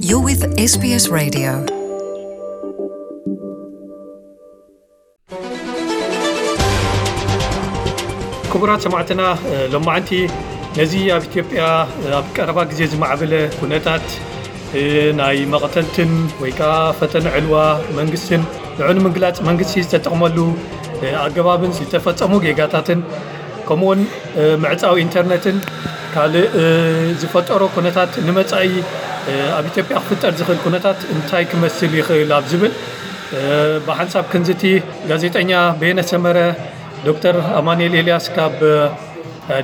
You're with S B S Radio. ክቡራት ሰማዕትና፣ ሎማዓንቲ ነዚ ኣብ ኢትዮጵያ ኣብ ቀረባ ግዜ ዝማዕበለ ኩነታት ናይ መቐተልትን ወይ ከዓ ፈተነ ዕልዋ መንግስትን ንዑ ንምግላፅ መንግስቲ ዝተጠቕመሉ ኣገባብን ዝተፈፀሙ ጌጋታትን ከምኡውን ምዕፃው ኢንተርነትን ካልእ ዝፈጠሮ ኩነታት ንመፃኢ ኣብ ኢትዮጵያ ክፍጠር ዝኽእል ኩነታት እንታይ ክመስል ይኽእል ኣብ ዝብል ብሓንሳብ ክንዝቲ ጋዜጠኛ በየነ ሰመረ፣ ዶክተር ኣማኑኤል ኤልያስ ካብ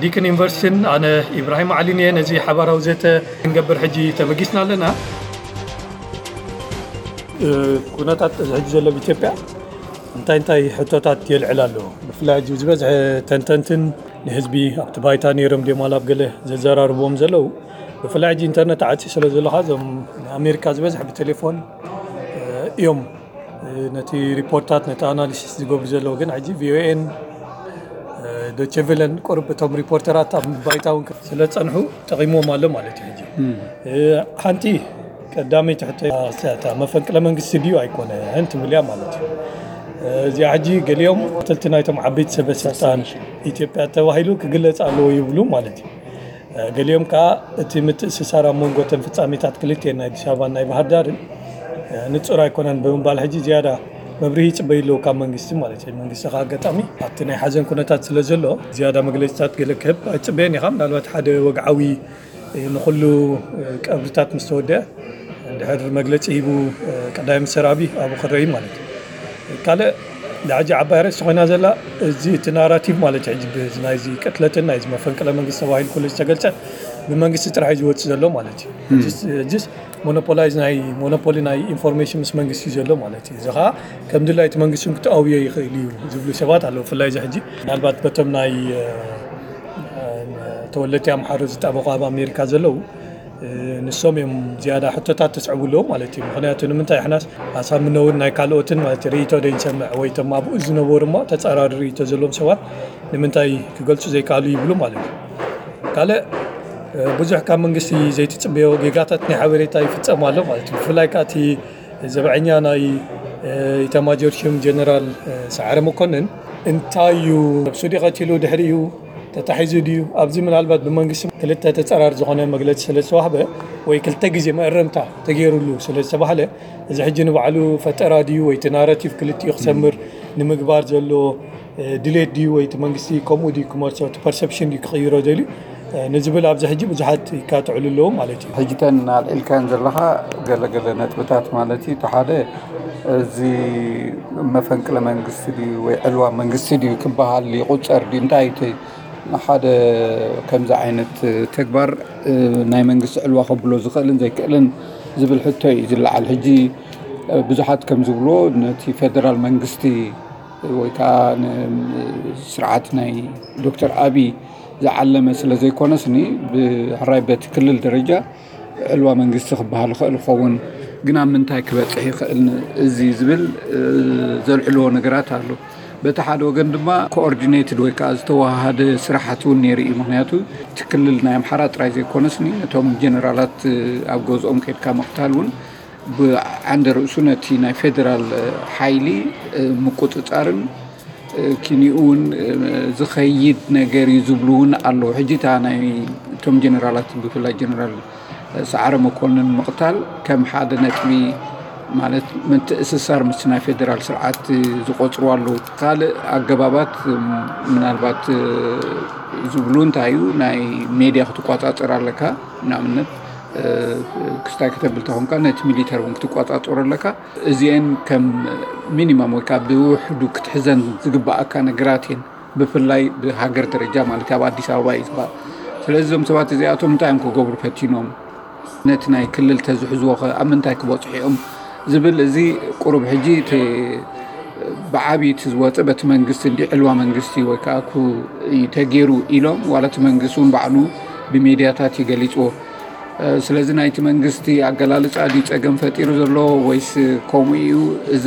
ዲክን ዩኒቨርሲቲን ኣነ ኢብራሂም ዓሊን እየ። ነዚ ሓባራዊ ዘተ ክንገብር ሕጂ ተበጊስና ኣለና። ኩነታት እዚ ሕጂ ዘሎ ኣብ ኢትዮጵያ እንታይ እንታይ ሕቶታት የልዕል ኣሎ? ብፍላይ ሕጂ ዝበዝሐ ተንተንትን ንህዝቢ ኣብቲ ባይታ ነይሮም ድዮም ኣብ ገለ ዘዘራርብዎም ዘለዉ፣ ብፍላይ ሕጂ ኢንተርነት ዓፂ ስለ ዘለኻ እዞም ኣሜሪካ ዝበዝሐ ብቴሌፎን እዮም ነቲ ሪፖርታት ነቲ ኣናሊሲስ ዝገብሩ ዘለዉ። ግን ሕጂ ቪኦኤን ዶቸቨለን ቁርብ እቶም ሪፖርተራት ኣብ ባይታ እውን ስለ ዝፀንሑ ጠቒምዎም ኣሎ ማለት እዩ። ሕጂ ሓንቲ ቀዳመይቲ ሕቶ እታ መፈንቅለ መንግስቲ ድዩ ኣይኮነን ትብል እያ ማለት እዩ። እዚኣ ሕጂ ገሊኦም ተልቲ ናይቶም ዓበይቲ ሰበ ስልጣን ኢትዮጵያ ተባሂሉ ክግለፅ ኣለዎ ይብሉ ማለት እዩ። ገሊኦም ከዓ እቲ ምትእስሳር ኣብ መንጎ እተን ፍጻሜታት ክልቲኤን ናይ ኣዲስ ኣበባን ናይ ባህር ዳርን ንጹር ኣይኮነን ብምባል ሕጂ ዝያዳ መብርሂ ይጽበዩ ኣለዉ ካብ መንግስቲ ማለት እዩ። መንግስቲ ከዓ ኣጋጣሚ ኣብቲ ናይ ሓዘን ኩነታት ስለ ዘሎ ዝያዳ መግለጺታት ገለ ክህብ ኣይጽበየን ኢኻ። ምናልባት ሓደ ወግዓዊ ንኹሉ ቀብርታት ምስ ተወደአ እንድሕር መግለጺ ሂቡ ቀዳማይ ሚኒስተር ኣብይ ኣብኡ ክረኢ ማለት እዩ። ካልእ ሕጂ ዓባይ ኣርእስቲ ኮይና ዘላ እዚ እቲ ናራቲቭ ማለት እዩ። ሕጂ ናይዚ ቅትለትን ናይዚ መፈንቅለ መንግስቲ ተባሂሉ ኩሉ ዝተገልጸ ብመንግስቲ ጥራሕ እዩ ዝወፅእ ዘሎ ማለት እዩ። ሕጂስ ሞኖፖላይዝ ናይ ሞኖፖሊ ናይ ኢንፎርሜሽን ምስ መንግስቲ እዩ ዘሎ ማለት እዩ። እዚ ከዓ ከም ድላይቲ መንግስቲ እውን ክተኣውዮ ይኽእል እዩ ዝብሉ ሰባት ኣለዉ። ብፍላይ እዚ ሕጂ ምናልባት በቶም ናይ ተወለድቲ ኣምሓሩ ዝጣበቑ ኣብ ኣሜሪካ ዘለዉ ንሶም እዮም ዝያዳ ሕቶታት ተስዕቡ ኣለዉ ማለት እዩ። ምክንያቱ ንምንታይ ሕናስ ኣሳምኖ እውን ናይ ካልኦትን ማለት ርእይቶ ዶ ይሰምዕ ወይ ቶም ኣብኡ ዝነበሩ እሞ ተፃራሪ ርእይቶ ዘለዎም ሰባት ንምንታይ ክገልፁ ዘይከኣሉ ይብሉ ማለት እዩ። ካልእ ብዙሕ ካብ መንግስቲ ዘይትፅበዮ ጌጋታት ናይ ሓበሬታ ይፍፀሙ ኣሎ ማለት እዩ። ብፍላይ ከዓ እቲ ዘብዐኛ ናይ ኢታማጆር ሹም ጀነራል ሰዓረ መኮንን እንታይ እዩ ነብሱ ድዩ ቀቲሉ ድሕሪኡ ተታሒዙ ድዩ ኣብዚ ምናልባት ብመንግስቲ ክልተ ተፀራር ዝኾነ መግለፂ ስለ ዝተዋህበ ወይ ክልተ ግዜ መእረምታ ተገይሩሉ ስለ ዝተባህለ እዚ ሕጂ ንባዕሉ ፈጠራ ድዩ ወይ እቲ ናራቲቭ ክልቲኡ ክሰምር ንምግባር ዘሎ ድሌት ድዩ ወይ እቲ መንግስቲ ከምኡ ድዩ ክመርሶ እቲ ፐርሰፕሽን ድዩ ክቕይሮ ደልዩ ንዝብል ኣብዚ ሕጂ ብዙሓት ይካትዕሉ ኣለዉ ማለት እዩ። ሕጂ ተን ኣልዒልካን ዘለኻ ገለገለ ነጥብታት ማለት እዩ። እቲ ሓደ እዚ መፈንቅለ መንግስቲ ድዩ ወይ ዕልዋ መንግስቲ ድዩ ክበሃል ይቁፀር ድዩ እንታይ እቲ ሓደ ከምዚ ዓይነት ተግባር ናይ መንግስቲ ዕልዋ ከብሎ ዝኽእልን ዘይክእልን ዝብል ሕቶ እዩ ዝለዓል። ሕጂ ብዙሓት ከም ዝብልዎ ነቲ ፌደራል መንግስቲ ወይ ከዓ ስርዓት ናይ ዶክተር ኣብይ ዝዓለመ ስለ ዘይኮነስኒ ብሕራይ በቲ ክልል ደረጃ ዕልዋ መንግስቲ ክበሃል ይኽእል ይኸውን፣ ግን ኣብ ምንታይ ክበፅሕ ይኽእል እዚ ዝብል ዘልዕልዎ ነገራት ኣሎ። በቲ ሓደ ወገን ድማ ኮኦርዲኔትድ ወይ ከዓ ዝተወሃሃደ ስራሓት እውን ነይሩ እዩ። ምክንያቱ እቲ ክልል ናይ ኣምሓራ ጥራይ ዘይኮነስኒ ነቶም ጀነራላት ኣብ ገዝኦም ከድካ ምቕታል እውን ብዓንደ ርእሱ ነቲ ናይ ፌደራል ሓይሊ ምቁፅፃርን ኪኒኡ እውን ዝኸይድ ነገር እዩ ዝብሉ እውን ኣለዉ። ሕጂ እታ ናይ እቶም ጀነራላት ብፍላይ ጀነራል ሰዓረ መኮንን ምቕታል ከም ሓደ ነጥቢ ማለት ምትእስሳር ምስ ናይ ፌደራል ስርዓት ዝቆፅሩ ኣለዉ። ካልእ ኣገባባት ምናልባት ዝብሉ እንታይ እዩ ናይ ሜድያ ክትቆፃፀር ኣለካ። ንኣብነት ክስታይ ከተብል ተኾንካ ነቲ ሚሊተር እውን ክትቆፃፀሩ ኣለካ። እዚአን ከም ሚኒማም ወይ ከዓ ብውሕዱ ክትሕዘን ዝግባኣካ ነገራት እየን። ብፍላይ ብሃገር ደረጃ ማለት ኣብ ኣዲስ ኣበባ እዩ ዝበሃል። ስለዚ እዞም ሰባት እዚኣቶም እንታይ እዮም ክገብሩ ፈቲኖም? ነቲ ናይ ክልል ተዝሕዝዎ ከ ኣብ ምንታይ ክበፅሑ እዮም ዝብል እዚ ቁሩብ ሕጂ እቲ ብዓብዪ እቲ ዝወፀ በቲ መንግስቲ እንዲ ዕልዋ መንግስቲ ወይ ከዓ ኩ እዩ ተገይሩ ኢሎም ዋላ እቲ መንግስቲ እውን ባዕሉ ብሜድያታት እዩ ገሊፅዎ። ስለዚ ናይቲ መንግስቲ ኣገላልፃ ድዩ ፀገም ፈጢሩ ዘሎ ወይስ ከምኡ እዩ? እዚ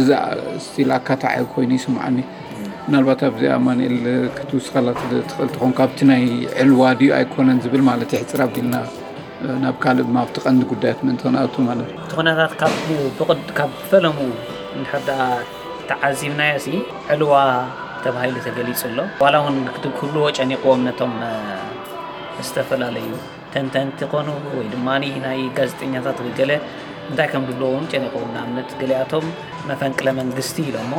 ስቲል ኣካታዒ ኮይኑ ይስምዓኒ። ምናልባት ኣብዚ ኣማኑኤል ክትውስኸላ ትኽእል ትኾን ካብቲ ናይ ዕልዋ ድዩ ኣይኮነን ዝብል ማለት ይሕፅር ኣቢልና ናብ ካልእ ድማ ኣብቲ ቀንዲ ጉዳያት ምእንቲ ክንኣቱ ማለት እዩ። እቲ ኩነታት ካብ ብቕድ- ካብ ፈለሙ እንድሕር ደኣ ተዓዚብናዮ ሲ ዕልዋ ተባሂሉ ተገሊጹ ኣሎ። ዋላ እውን ክብልዎ ጨኒቕዎም ነቶም ዝተፈላለዩ ተንተንቲ ኮኑ ወይ ድማ ናይ ጋዜጠኛታት ወይ ገለ እንታይ ከም ዝብልዎ እውን ጨኒቕዎም። ንኣብነት ገሊኣቶም መፈንቅለ መንግስቲ ኢሎሞ፣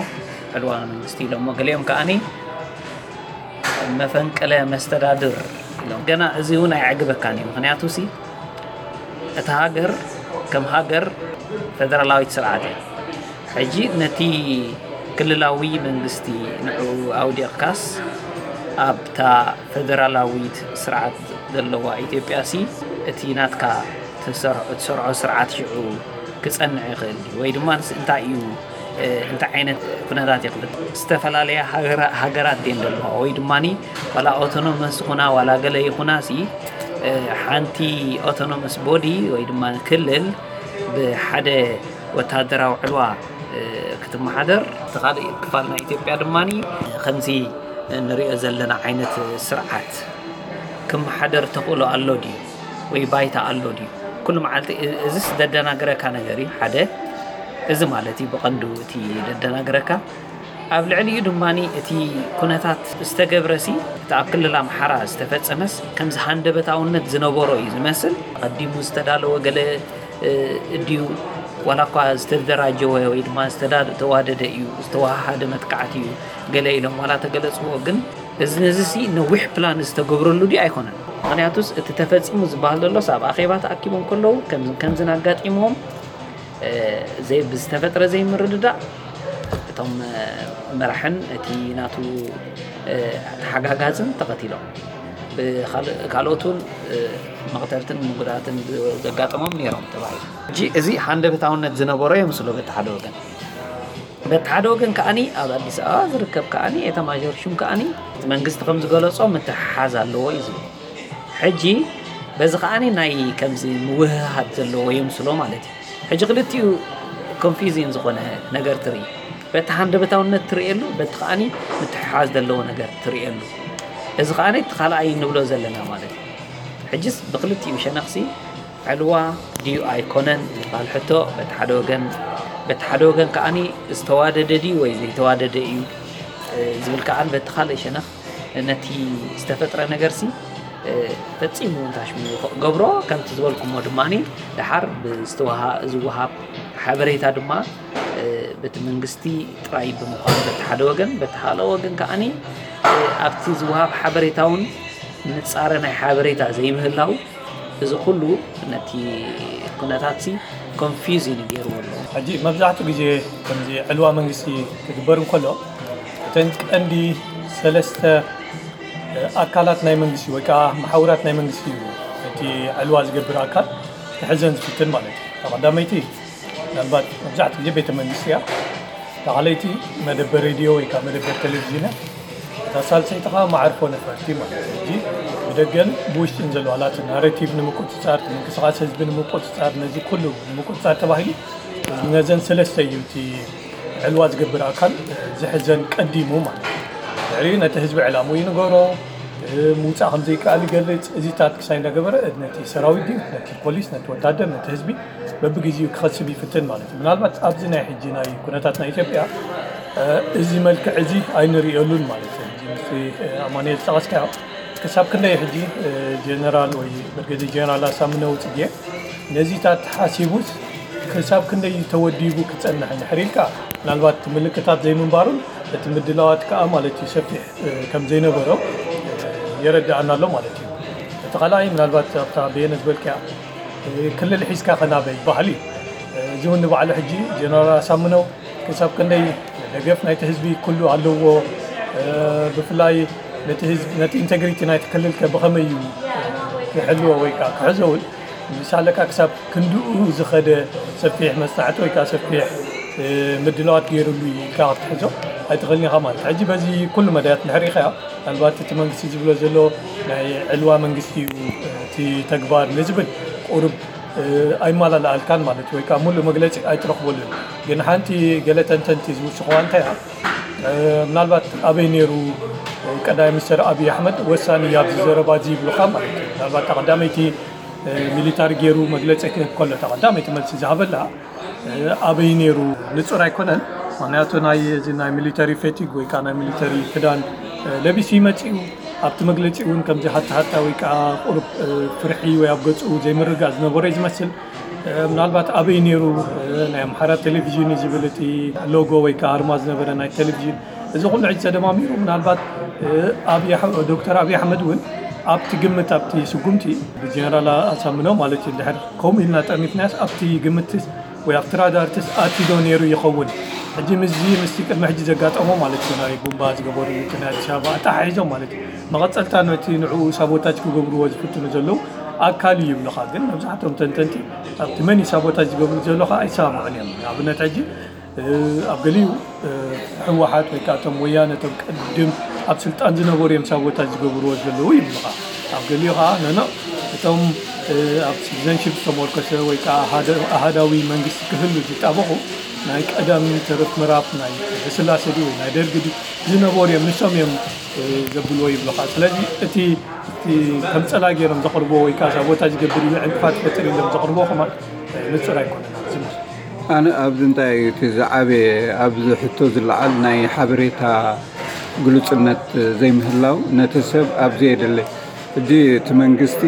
ዕልዋ መንግስቲ ኢሎሞ፣ ገሊኦም ከኣኒ መፈንቅለ መስተዳድር ኢሎም። ገና እዚ እውን ኣይዕግበካን እዩ። ምክንያቱ ሲ እታ ሃገር ከም ሃገር ፈደራላዊት ስርዓት እያ። ሕጂ ነቲ ክልላዊ መንግስቲ ንዕኡ ኣውዲቕካስ ኣብታ ፈደራላዊት ስርዓት ዘለዋ ኢትዮጵያ ሲ እቲ ናትካ ትሰርዖ- እትሰርዖ ስርዓት ሽዑ ክጸንዕ ይኽእል ድዩ? ወይ ድማ ንስ እንታይ እዩ እንታይ ዓይነት ኩነታት ይኽፍት? ዝተፈላለያ ሃገራት ድን ዘለዋ ወይ ድማ ዋላ ኦቶኖመስ ይኹና ዋላ ገለ ይኹና ሲ ሓንቲ ኦቶኖመስ ቦዲ ወይ ድማ ክልል ብሓደ ወታደራዊ ዕልዋ ክትመሓደር፣ እቲ ካልእ ክፋል ናይ ኢትዮጵያ ድማ ከምዚ ንሪኦ ዘለና ዓይነት ስርዓት ክመሓደር ተኽእሎ ኣሎ ድዩ? ወይ ባይታ ኣሎ ድዩ? ኩሉ መዓልቲ እ- እዚስ ዘደናግረካ ነገር እዩ። ሓደ እዚ ማለት እዩ ብቐንዱ እቲ ዘደናግረካ። ኣብ ልዕሊኡ ድማ እቲ ኩነታት ዝተገብረሲ እቲ ኣብ ክልል ኣምሓራ ዝተፈጸመስ ከምዚ ሃንደበታውነት ዝነበሮ እዩ ዝመስል። ቀዲሙ ዝተዳለወ ገለ እ፣ ድዩ ዋላ እኳ ዝተደራጀወ ወይ ድማ ዝተዋደደ እዩ ዝተዋሃደ መጥቃዕቲ እዩ ገለ ኢሎም ዋላ ተገለፅዎ፣ ግን እዚ ነዚ ሲ ነዊሕ ፕላን ዝተገብረሉ ድዩ ኣይኮነን። ምክንያቱስ እቲ ተፈፂሙ ዝበሃል ዘሎስ ኣብ ኣኼባ ተኣኪቦም ከለዉ ከምዝን ከምዝን ኣጋጢሞም ብዝተፈጥረ ዘይምርድዳእ እቶም መራሕን እቲ ናቱ ተሓጋጋዝን ተቐቲሎም፣ ካልኦት እውን መቕተልትን ምጉዳእትን ዘጋጠሞም ነይሮም ተባሂሉ። ሕጂ እዚ ሃንደበታውነት ዝነበሮ የምስሎ በቲ ሓደ ወገን። በቲ ሓደ ወገን ከኣኒ ኣብ ኣዲስ ኣበባ ዝርከብ ከኣኒ ኤታማዦር ሹም ከኣኒ እቲ መንግስቲ ከም ዝገለጾ ምትሕሓዝ ኣለዎ እዩ ዝብል። ሕጂ በዚ ከኣኒ ናይ ከምዚ ምውህሃድ ዘለዎ የምስሎ ማለት እዩ። ሕጂ ክልቲኡ ኮንፊዚን ዝኾነ ነገር ትርኢ። በቲ ሃንደበታውነት ትርእየሉ፣ በቲ ከኣኒ ምትሕሓዝ ዘለዎ ነገር ትርእየሉ። እዚ ከኣኒ እቲ ካልኣይ ንብሎ ዘለና ማለት እዩ። ሕጅስ ብክልቲኡ ሸነኽሲ ዕልዋ ድዩ ኣይኮነን ዝበሃል ሕቶ በቲ ሓደ ወገን፣ በቲ ሓደ ወገን ከኣኒ ዝተዋደደ ድዩ ወይ ዘይተዋደደ እዩ ዝብል ከኣን በቲ ካልእ ሸነኽ ነቲ ዝተፈጥረ ነገርሲ ፈጺሙ እንታሽሙ ገብሮ ከምቲ ዝበልኩሞ ድማ ደሓር ብዝወሃብ ሓበሬታ ድማ በቲ መንግስቲ ጥራይ ብምዃኑ በቲ ሓደ ወገን፣ በቲ ካልእ ወገን ከዓኒ ኣብቲ ዝወሃብ ሓበሬታ እውን ንጻረ ናይ ሓበሬታ ዘይምህላው እዚ ኩሉ ነቲ ኩነታትሲ ኮንፊውዝ እዩ ገይርዎ ኣሎ። ሕጂ መብዛሕትኡ ግዜ ከምዚ ዕልዋ መንግስቲ ክግበር እንከሎ እተን ቀንዲ ሰለስተ ኣካላት ናይ መንግስቲ ወይ ከዓ መሓውራት ናይ መንግስቲ እዩ እቲ ዕልዋ ዝገብር ኣካል ክሕዘን ዝፍትን ማለት እዩ። ቀዳመይቲ ምናልባት መብዛሕትኡ ግዜ ቤተ መንግስቲ እያ። እታ ካልኣይቲ መደበር ሬድዮ ወይ ከዓ መደበር ቴሌቪዥን እያ። እታ ሳልሰይቲ ከዓ መዓርፎ ነፈርቲ ማለት እዩ። ሕጂ ብደገን ብውሽጥን ዘለዋ ናቲ ናሬቲቭ ንምቁፅፃር፣ ምንቅስቃስ ህዝቢ ንምቁፅፃር፣ ነዚ ኩሉ ንምቁፅፃር ተባሂሉ ነዘን ሰለስተ እዩ እቲ ዕልዋ ዝገብር ኣካል ዝሕዘን ቀዲሙ ማለት እዩ። ድሕሪኡ ነቲ ህዝቢ ዕላምኡ ይንገሮ፣ ምውፃእ ከም ዘይከኣል ይገልፅ። እዚታት ክሳይ እንዳገበረ ነቲ ሰራዊት ድዩ፣ ነቲ ፖሊስ፣ ነቲ ወታደር፣ ነቲ ህዝቢ በብግዜኡ ክኸስብ ይፍትን ማለት እዩ። ምናልባት ኣብዚ ናይ ሕጂ ናይ ኩነታት ናይ ኢትዮጵያ እዚ መልክዕ እዚ ኣይንርእየሉን ማለት እዩ። ሕጂ ምስቲ ኣማኑኤል ዝጠቐስካዮ ክሳብ ክንደይ ሕጂ ጀነራል ወይ ብርጌዴር ጀነራል ኣሳምነው ጽጌ ነዚታት ሓሲቡስ ክሳብ ክንደይ ተወዲቡ ክጸንሕ እንድሕር ኢልካ፣ ምናልባት እቲ ምልክታት ዘይምንባሩን እቲ ምድላዋት ከኣ ማለት እዩ ሰፊሕ ከም ዘይነበሮ የረድኣና ኣሎ ማለት እዩ። እቲ ካልኣይ ምናልባት ኣብታ በየነ ዝበልክያ ክልል ሒዝካ ከናበይ ባህሊ እዚ እውን ንባዕሉ ሕጂ ጀነራል ኣሳምነው ክሳብ ክንደይ ደገፍ ናይቲ ህዝቢ ኩሉ ኣለዎ፣ ብፍላይ ነቲ ህዝቢ ነቲ ኢንቴግሪቲ ናይቲ ክልል ከ ብኸመይ እዩ ክሕልዎ ወይ ከዓ ክሕዞ እውን ምሳለካ ክሳብ ክንድኡ ዝኸደ ሰፊሕ መፅናዕቲ ወይ ከዓ ሰፊሕ ምድላዋት ገይሩሉ እዩ ኢልካ ክትሕዞ ኣይትኽእልን ኢኻ ማለት እዩ። ሕጂ በዚ ኩሉ መዳያት እንድሕር ርኢኻዮ ምናልባት እቲ መንግስቲ ዝብሎ ዘሎ ናይ ዕልዋ መንግስቲ እዩ እቲ ተግባር ንዝብል ቁሩብ ኣይመላልኣልካን ማለት እዩ፣ ወይ ከዓ ሙሉእ መግለፂ ኣይትረኽበሉን። ግን ሓንቲ ገለ ተንተንቲ ዝውስኽዋ እንታይ እያ፣ ምናልባት ኣበይ ነይሩ ቀዳማይ ሚኒስተር ኣብይ ኣሕመድ ወሳኒ እዩ ኣብዚ ዘረባ እዚ ይብሉኻ ማለት እዩ። ምናልባት እታ ቀዳመይቲ ሚሊታሪ ገይሩ መግለፂ ክህብ ከሎ፣ ተቐዳመይቲ መልሲ ዝሃበላ ኣበይ ነይሩ ንፁር ኣይኮነን። ምክንያቱ ናይ እዚ ናይ ሚሊተሪ ፌቲግ ወይ ከዓ ናይ ሚሊተሪ ክዳን ለቢሱ ይመፅእ እዩ። ኣብቲ መግለፂ እውን ከምዚ ሃታ ሃታ ወይ ከዓ ቁሩብ ፍርሒ ወይ ኣብ ገፁ ዘይምርጋእ ዝነበረ እዩ ዝመስል። ምናልባት ኣበይ ነይሩ? ናይ ኣምሓራ ቴሌቪዥን እዩ ዝብል እቲ ሎጎ ወይ ከዓ ኣርማ ዝነበረ ናይ ቴሌቪዥን። እዚ ኩሉ ሕጂ ተደማሚሩ ምናልባት ዶክተር ኣብይ ኣሕመድ እውን ኣብቲ ግምት፣ ኣብቲ ስጉምቲ ብጀነራል ኣሳምነው ማለት እዩ፣ ድሕር ከምኡ ኢልና ጠሚትናስ ኣብቲ ግምትስ ወይ ኣብቲ ራዳርትስ ኣትዩ ዶ ነይሩ ይኸውን? ሕጂ ምስዚ ምስቲ ቅድሚ ሕጂ ዘጋጠሞ ማለት እዩ፣ ናይ ቡምባ ዝገበሩ እቲ ናይ ኣዲስ ኣበባ ኣተሓሒዞም ማለት እዩ፣ መቐፀልታ ነቲ ንዕኡ ሳቦታጅ ክገብርዎ ዝፍትኑ ዘለዉ ኣካል እዩ ይብሉኻ። ግን መብዛሕትኦም ተንተንቲ ኣብቲ መን እዩ ሳቦታጅ ዝገብሩ ዘሎ ከዓ ኣይሰማምዑን እዮም። ንኣብነት ሕጂ ኣብ ገሊኡ ህወሓት ወይ ከዓ እቶም ወያነ እቶም ቅድም ኣብ ስልጣን ዝነበሩ እዮም ሳቦታጅ ዝገብርዎ ዘለዉ ይብሉኻ። ኣብ ገሊኡ ከዓ ነኖ እቶም ኣብ ሲቲዘንሽፕ ዝተመርኮሰ ወይ ከዓ ኣሃደ- ኣሃዳዊ መንግስቲ ክህሉ ዝጣበቑ ናይ ቀደም ተረፍ ምዕራፍ ናይ ስላሴ ድዩ ወይ ናይ ደርግ ድዩ ዝነበሩ እዮም፣ ንሶም እዮም ዘብልዎ ይብሉኻ። ስለዚ እቲ እቲ ከም ፀላ ገይሮም ዘቕርብዎ ወይ ከዓ ሳቦታጅ ዝገብር እዩ ዕንቅፋት ይፈጥር ኢሎም ዘቕርብዎ ከማን ንፁር ኣይኮነን ኣብዚ ማለት። ኣነ ኣብዚ እንታይ እቲ ዝዓበየ ኣብዚ ሕቶ ዝለዓል ናይ ሓበሬታ ግሉጽነት ዘይምህላው ነቲ ሰብ ኣብዚ የድሊ። ሕጂ እቲ መንግስቲ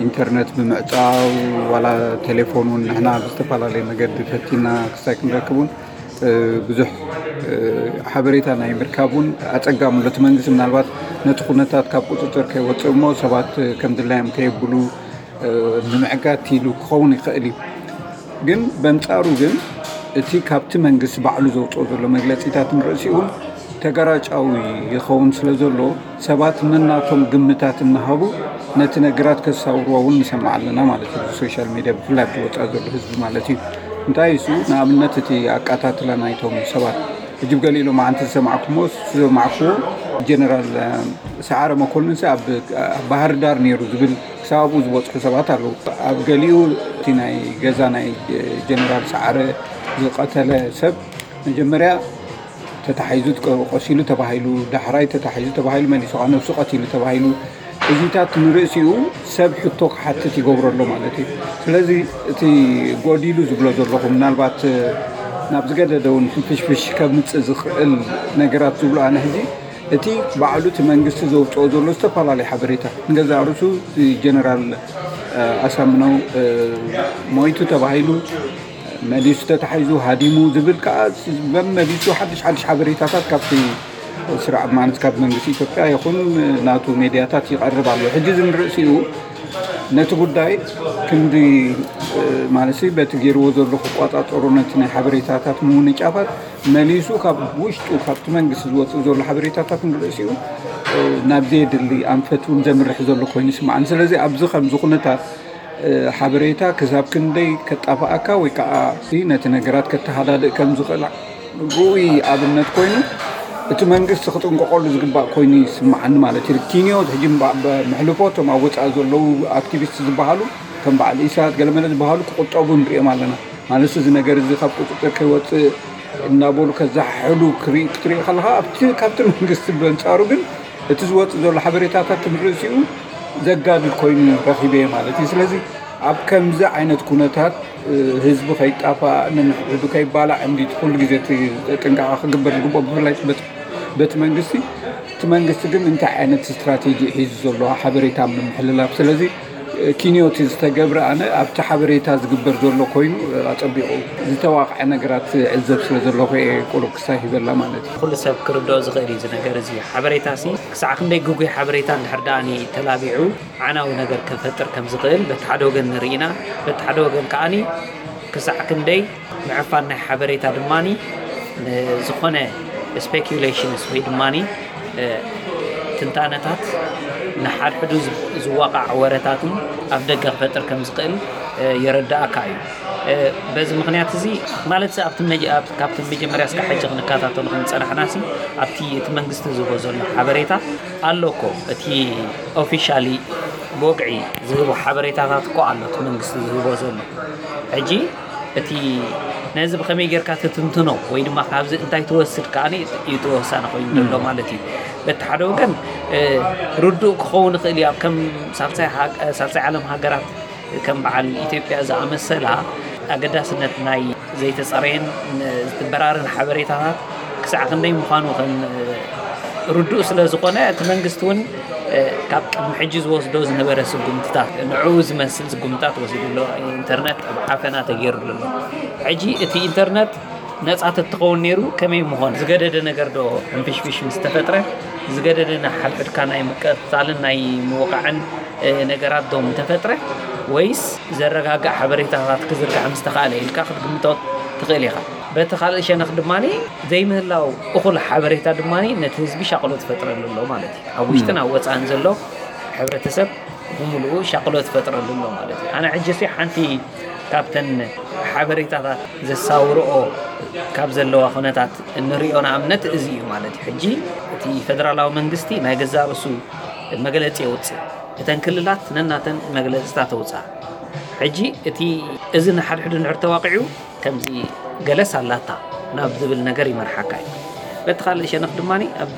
ኢንተርነት ብምዕጻው ዋላ ቴሌፎን እውን ንሕና ብዝተፈላለየ መገዲ ፈቲና ክሳይ ክንረክብ እውን ብዙሕ ሓበሬታ ናይ ምርካብ እውን ኣጸጋሚ ኣሎ። እቲ መንግስቲ ምናልባት ነቲ ኩነታት ካብ ቁጽጽር ከይወጽእ እሞ ሰባት ከም ድላዮም ከየብሉ ንምዕጋት ኢሉ ክኸውን ይኽእል እዩ። ግን በንጻሩ ግን እቲ ካብቲ መንግስቲ ባዕሉ ዘውፅኦ ዘሎ መግለፂታት ንርእሲኡ እውን ተገራጫዊ ይኸውን ስለ ዘሎ ሰባት ነናቶም ግምታት እናሃቡ ነቲ ነገራት ከሳውርዎ እውን ንሰምዕ ኣለና ማለት እዩ። ብሶሻል ሚድያ ብፍላይ ኣብቲ ወፃኢ ዘሎ ህዝቢ ማለት እዩ። እንታይ እሱ ንኣብነት እቲ ኣቃታትላ ናይቶም ሰባት ሕጂ ብገሊኡ ሎማዓንቲ ዝሰማዕኩሞ ዝሰማዕኩዎ ጀነራል ሰዓረ መኮንን ኣብ ባህር ዳር ነይሩ ዝብል ክሳብ ኣብኡ ዝበፅሑ ሰባት ኣለዉ። ኣብ ገሊኡ እቲ ናይ ገዛ ናይ ጀነራል ሰዓረ ዝቐተለ ሰብ መጀመርያ ተታሒዙ ቆሲሉ ተባሂሉ፣ ዳሕራይ ተታሒዙ ተባሂሉ፣ መሊሱ ከዓ ነብሱ ቀቲሉ ተባሂሉ። እዚታት ንርእሲኡ ሰብ ሕቶ ክሓትት ይገብሮ ኣሎ ማለት እዩ። ስለዚ እቲ ጎዲሉ ዝብሎ ዘለኹ ምናልባት ናብ ዝገደደ እውን ሕንፍሽፍሽ ከምፅእ ዝኽእል ነገራት ዝብሎ ኣነ ሕዚ እቲ ባዕሉ እቲ መንግስቲ ዘውፅኦ ዘሎ ዝተፈላለዩ ሓበሬታ ንገዛእ ርእሱ እቲ ጀነራል ኣሳምነው ሞይቱ ተባሂሉ መሊሱ ተታሒዙ ሃዲሙ ዝብል ከዓ መመሊሱ ሓድሽ ሓድሽ ሓበሬታታት ካብቲ ስርዓት ማለት ካብ መንግስቲ ኢትዮጵያ ይኹን ናቱ ሜድያታት ይቐርብ ኣሎ። ሕጂ እዚ ንርእሲኡ ነቲ ጉዳይ ክንዲ ማለት በቲ ገይርዎ ዘሎ ክቋፃፀሩ ነቲ ናይ ሓበሬታታት ምውንጫፋት መሊሱ ካብ ውሽጡ ካብቲ መንግስቲ ዝወፅእ ዘሎ ሓበሬታታት ንርእሲኡ ናብ ዘየድሊ ኣንፈት እውን ዘምርሕ ዘሎ ኮይኑ ይስምዓኒ። ስለዚ ኣብዚ ከምዚ ኩነታት ሓበሬታ ክሳብ ክንደይ ከጣፍኣካ ወይ ከዓ ነቲ ነገራት ከተሃዳድእ ከም ዝኽእል ርኡይ ኣብነት ኮይኑ እቲ መንግስቲ ክጥንቀቐሉ ዝግባእ ኮይኑ ይስምዓኒ ማለት እዩ። ኪንዮ ሕጂ ምሕልፎ እቶም ኣብ ወፃኢ ዘለዉ ኣክቲቪስት ዝበሃሉ ከም በዓል ኢሳት ገለመለ ዝበሃሉ ክቁጠቡ ንሪኦም ኣለና ማለት እዚ ነገር እዚ ካብ ቁፅጥር ከይወፅእ እናበሉ ከዛሕሕሉ ክትርኢ ከለካ ኣብቲ ካብቲ መንግስቲ በንፃሩ ግን እቲ ዝወፅእ ዘሎ ሓበሬታታት ንርእሲኡ ዘጋድድ ኮይኑ ረኺበ ማለት እዩ። ስለዚ ኣብ ከምዚ ዓይነት ኩነታት ህዝቢ ከይጣፋእ ንንሕዱ ከይባላዕ እንዲ ኩሉ ግዜ ጥንቃቐ ክግበር ዝግብኦ ብፍላይ በቲ መንግስቲ እቲ መንግስቲ ግን እንታይ ዓይነት ስትራቴጂ ሒዙ ዘሎ ሓበሬታ ምምሕልላፍ ስለዚ ኪንዮቲ ዝተገብረ ኣነ ኣብቲ ሓበሬታ ዝግበር ዘሎ ኮይኑ ኣፀቢቑ ዝተዋቕዐ ነገራት ዕዘብ ስለ ዘለኹ እየ ቁሩብ ክሳይ ሂበላ ማለት እዩ። ኩሉ ሰብ ክርድኦ ዝኽእል እዩ እዚ ነገር እዚ ሓበሬታ ሲ ክሳዕ ክንደይ ግጉይ ሓበሬታ እንድሕር ደኣ ተላቢዑ ዓናዊ ነገር ከፈጥር ከም ዝኽእል በቲ ሓደ ወገን ንርኢ ኢና። በቲ ሓደ ወገን ከኣ ክሳዕ ክንደይ ምዕፋን ናይ ሓበሬታ ድማ ንዝኾነ ስፔኩሌሽንስ ወይ ድማ ትንታነታት ንሓድሕዱ ዝዋቃዕ ወረታትን ኣብ ደገ ክፈጥር ከም ዝኽእል የረዳእካ እዩ። በዚ ምኽንያት እዚ ማለት ካብቲ መጀመርያ እስካ ሕጂ ክንከታተሉ ክንፀናሕና ሲ ኣብቲ እቲ መንግስቲ ዝህቦ ዘሎ ሓበሬታ ኣሎ እኮ እቲ ኦፊሻሊ ብወግዒ ዝህቦ ሓበሬታታት እኮ ኣሎ እቲ መንግስቲ ዝህቦ ዘሎ ሕጂ እቲ ነዚ ብኸመይ ጌርካ ትትንትኖ ወይ ድማ ካብዚ እንታይ ትወስድ ከኣ እዩ ተወሳኒ ኮይኑ ዘሎ ማለት እዩ። በቲ ሓደ ወገን ርዱእ ክኸውን ይኽእል እዩ ኣብ ከም ሳልሳይ ዓለም ሃገራት ከም በዓል ኢትዮጵያ ዝኣመሰላ ኣገዳስነት ናይ ዘይተጸረየን ዝተበራረን ሓበሬታታት ክሳዕ ክንደይ ምዃኑ ከም ርዱእ ስለ ዝኾነ፣ እቲ መንግስቲ እውን ካብ ቅድሚ ሕጂ ዝወስዶ ዝነበረ ስጉምትታት፣ ንዕኡ ዝመስል ስጉምትታት ወሲዱ ኣሎ። ኢንተርነት ኣብ ዓፈና ተገይሩሉ ኣሎ። ሕጂ እቲ ኢንተርነት ነጻ ተትኸውን ነይሩ ከመይ ምኾን? ዝገደደ ነገር ዶ ሕንፍሽፍሽ ምስ ተፈጥረ፣ ዝገደደ ንሓድሕድካ ናይ ምቅትታልን ናይ ምውቃዕን ነገራት ዶ ምተፈጥረ፣ ወይስ ዘረጋግእ ሓበሬታታት ክዝርጋሕ ምስ ተኻእለ ኢልካ ክትግምቶ ትኽእል ኢኻ። በቲ ካልእ ሸነኽ ድማ ዘይምህላው እኹል ሓበሬታ ድማ ነቲ ህዝቢ ሻቕሎት ይፈጥረሉ ኣሎ ማለት እዩ። ኣብ ውሽጥን ኣብ ወፃእን ዘሎ ሕብረተሰብ ብምሉኡ ሻቕሎት ይፈጥረሉ ኣሎ ማለት እዩ። ኣነ ሕጂ ሲ ሓንቲ ካብተን ሓበሬታታት ዘሳውርኦ ካብ ዘለዋ ኩነታት እንሪኦ ንኣብነት እዚ እዩ ማለት እዩ። ሕጂ እቲ ፌደራላዊ መንግስቲ ናይ ገዛእ ርእሱ መግለፂ የውፅእ፣ እተን ክልላት ነናተን መግለፅታት ተውፅኣ። ሕጂ እቲ እዚ ንሓድሕዱ ንድሕር ተዋቂዑ ከምዚ ገለስ ኣላታ ናብ ዝብል ነገር ይመርሓካ እዩ። በቲ ካልእ ሸነኽ ድማ ኣብ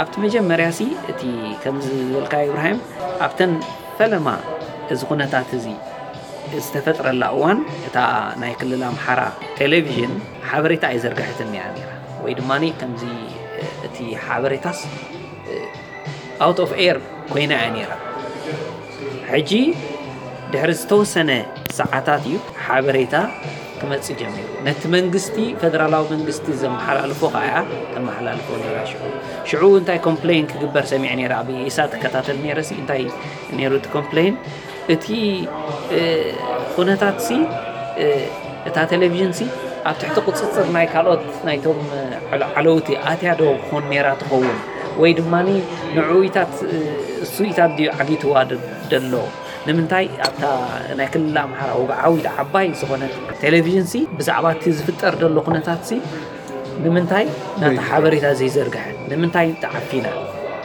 ኣብቲ መጀመርያ ሲ እቲ ከምዚ ዝበልካ ኢብራሂም ኣብተን ፈለማ እዚ ኩነታት እዚ ዝተፈጥረላ እዋን እታ ናይ ክልል ኣምሓራ ቴሌቪዥን ሓበሬታ ኣይዘርግሐትን እያ ነይራ፣ ወይ ድማ ከምዚ እቲ ሓበሬታስ ኣውት ኦፍ ኤር ኮይና እያ ነይራ። ሕጂ ድሕሪ ዝተወሰነ ሰዓታት እዩ ሓበሬታ ክመጽእ ጀሚሩ። ነቲ መንግስቲ፣ ፌደራላዊ መንግስቲ ዘመሓላልፎ ከኣ እያ ተመሓላልፎ ነይራ። ሽዑ ሽዑ እንታይ ኮምፕሌን ክግበር ሰሚዐ ነይረ፣ ኣብ ኢሳት እከታተል ነይረ ሲ እንታይ ነይሩ እቲ ኮምፕሌን? እቲ ኩነታት ሲ እታ ቴሌቪዥን ሲ ኣብ ትሕቲ ቁፅፅር ናይ ካልኦት ናይቶም ዓለውቲ ኣትያ ዶ ክኾን ነይራ ትኸውን? ወይ ድማ ንዕኡታት እሱኢታት ድዩ ዓጊትዋ ደሎ? ንምንታይ ኣብታ ናይ ክልል ኣምሓራ ወግዓዊት ዓባይ ዝኾነት ቴሌቪዥን ሲ ብዛዕባ እቲ ዝፍጠር ደሎ ኩነታት ሲ ንምንታይ ናታ ሓበሬታ ዘይዘርግሐ? ንምንታይ ተዓፊና?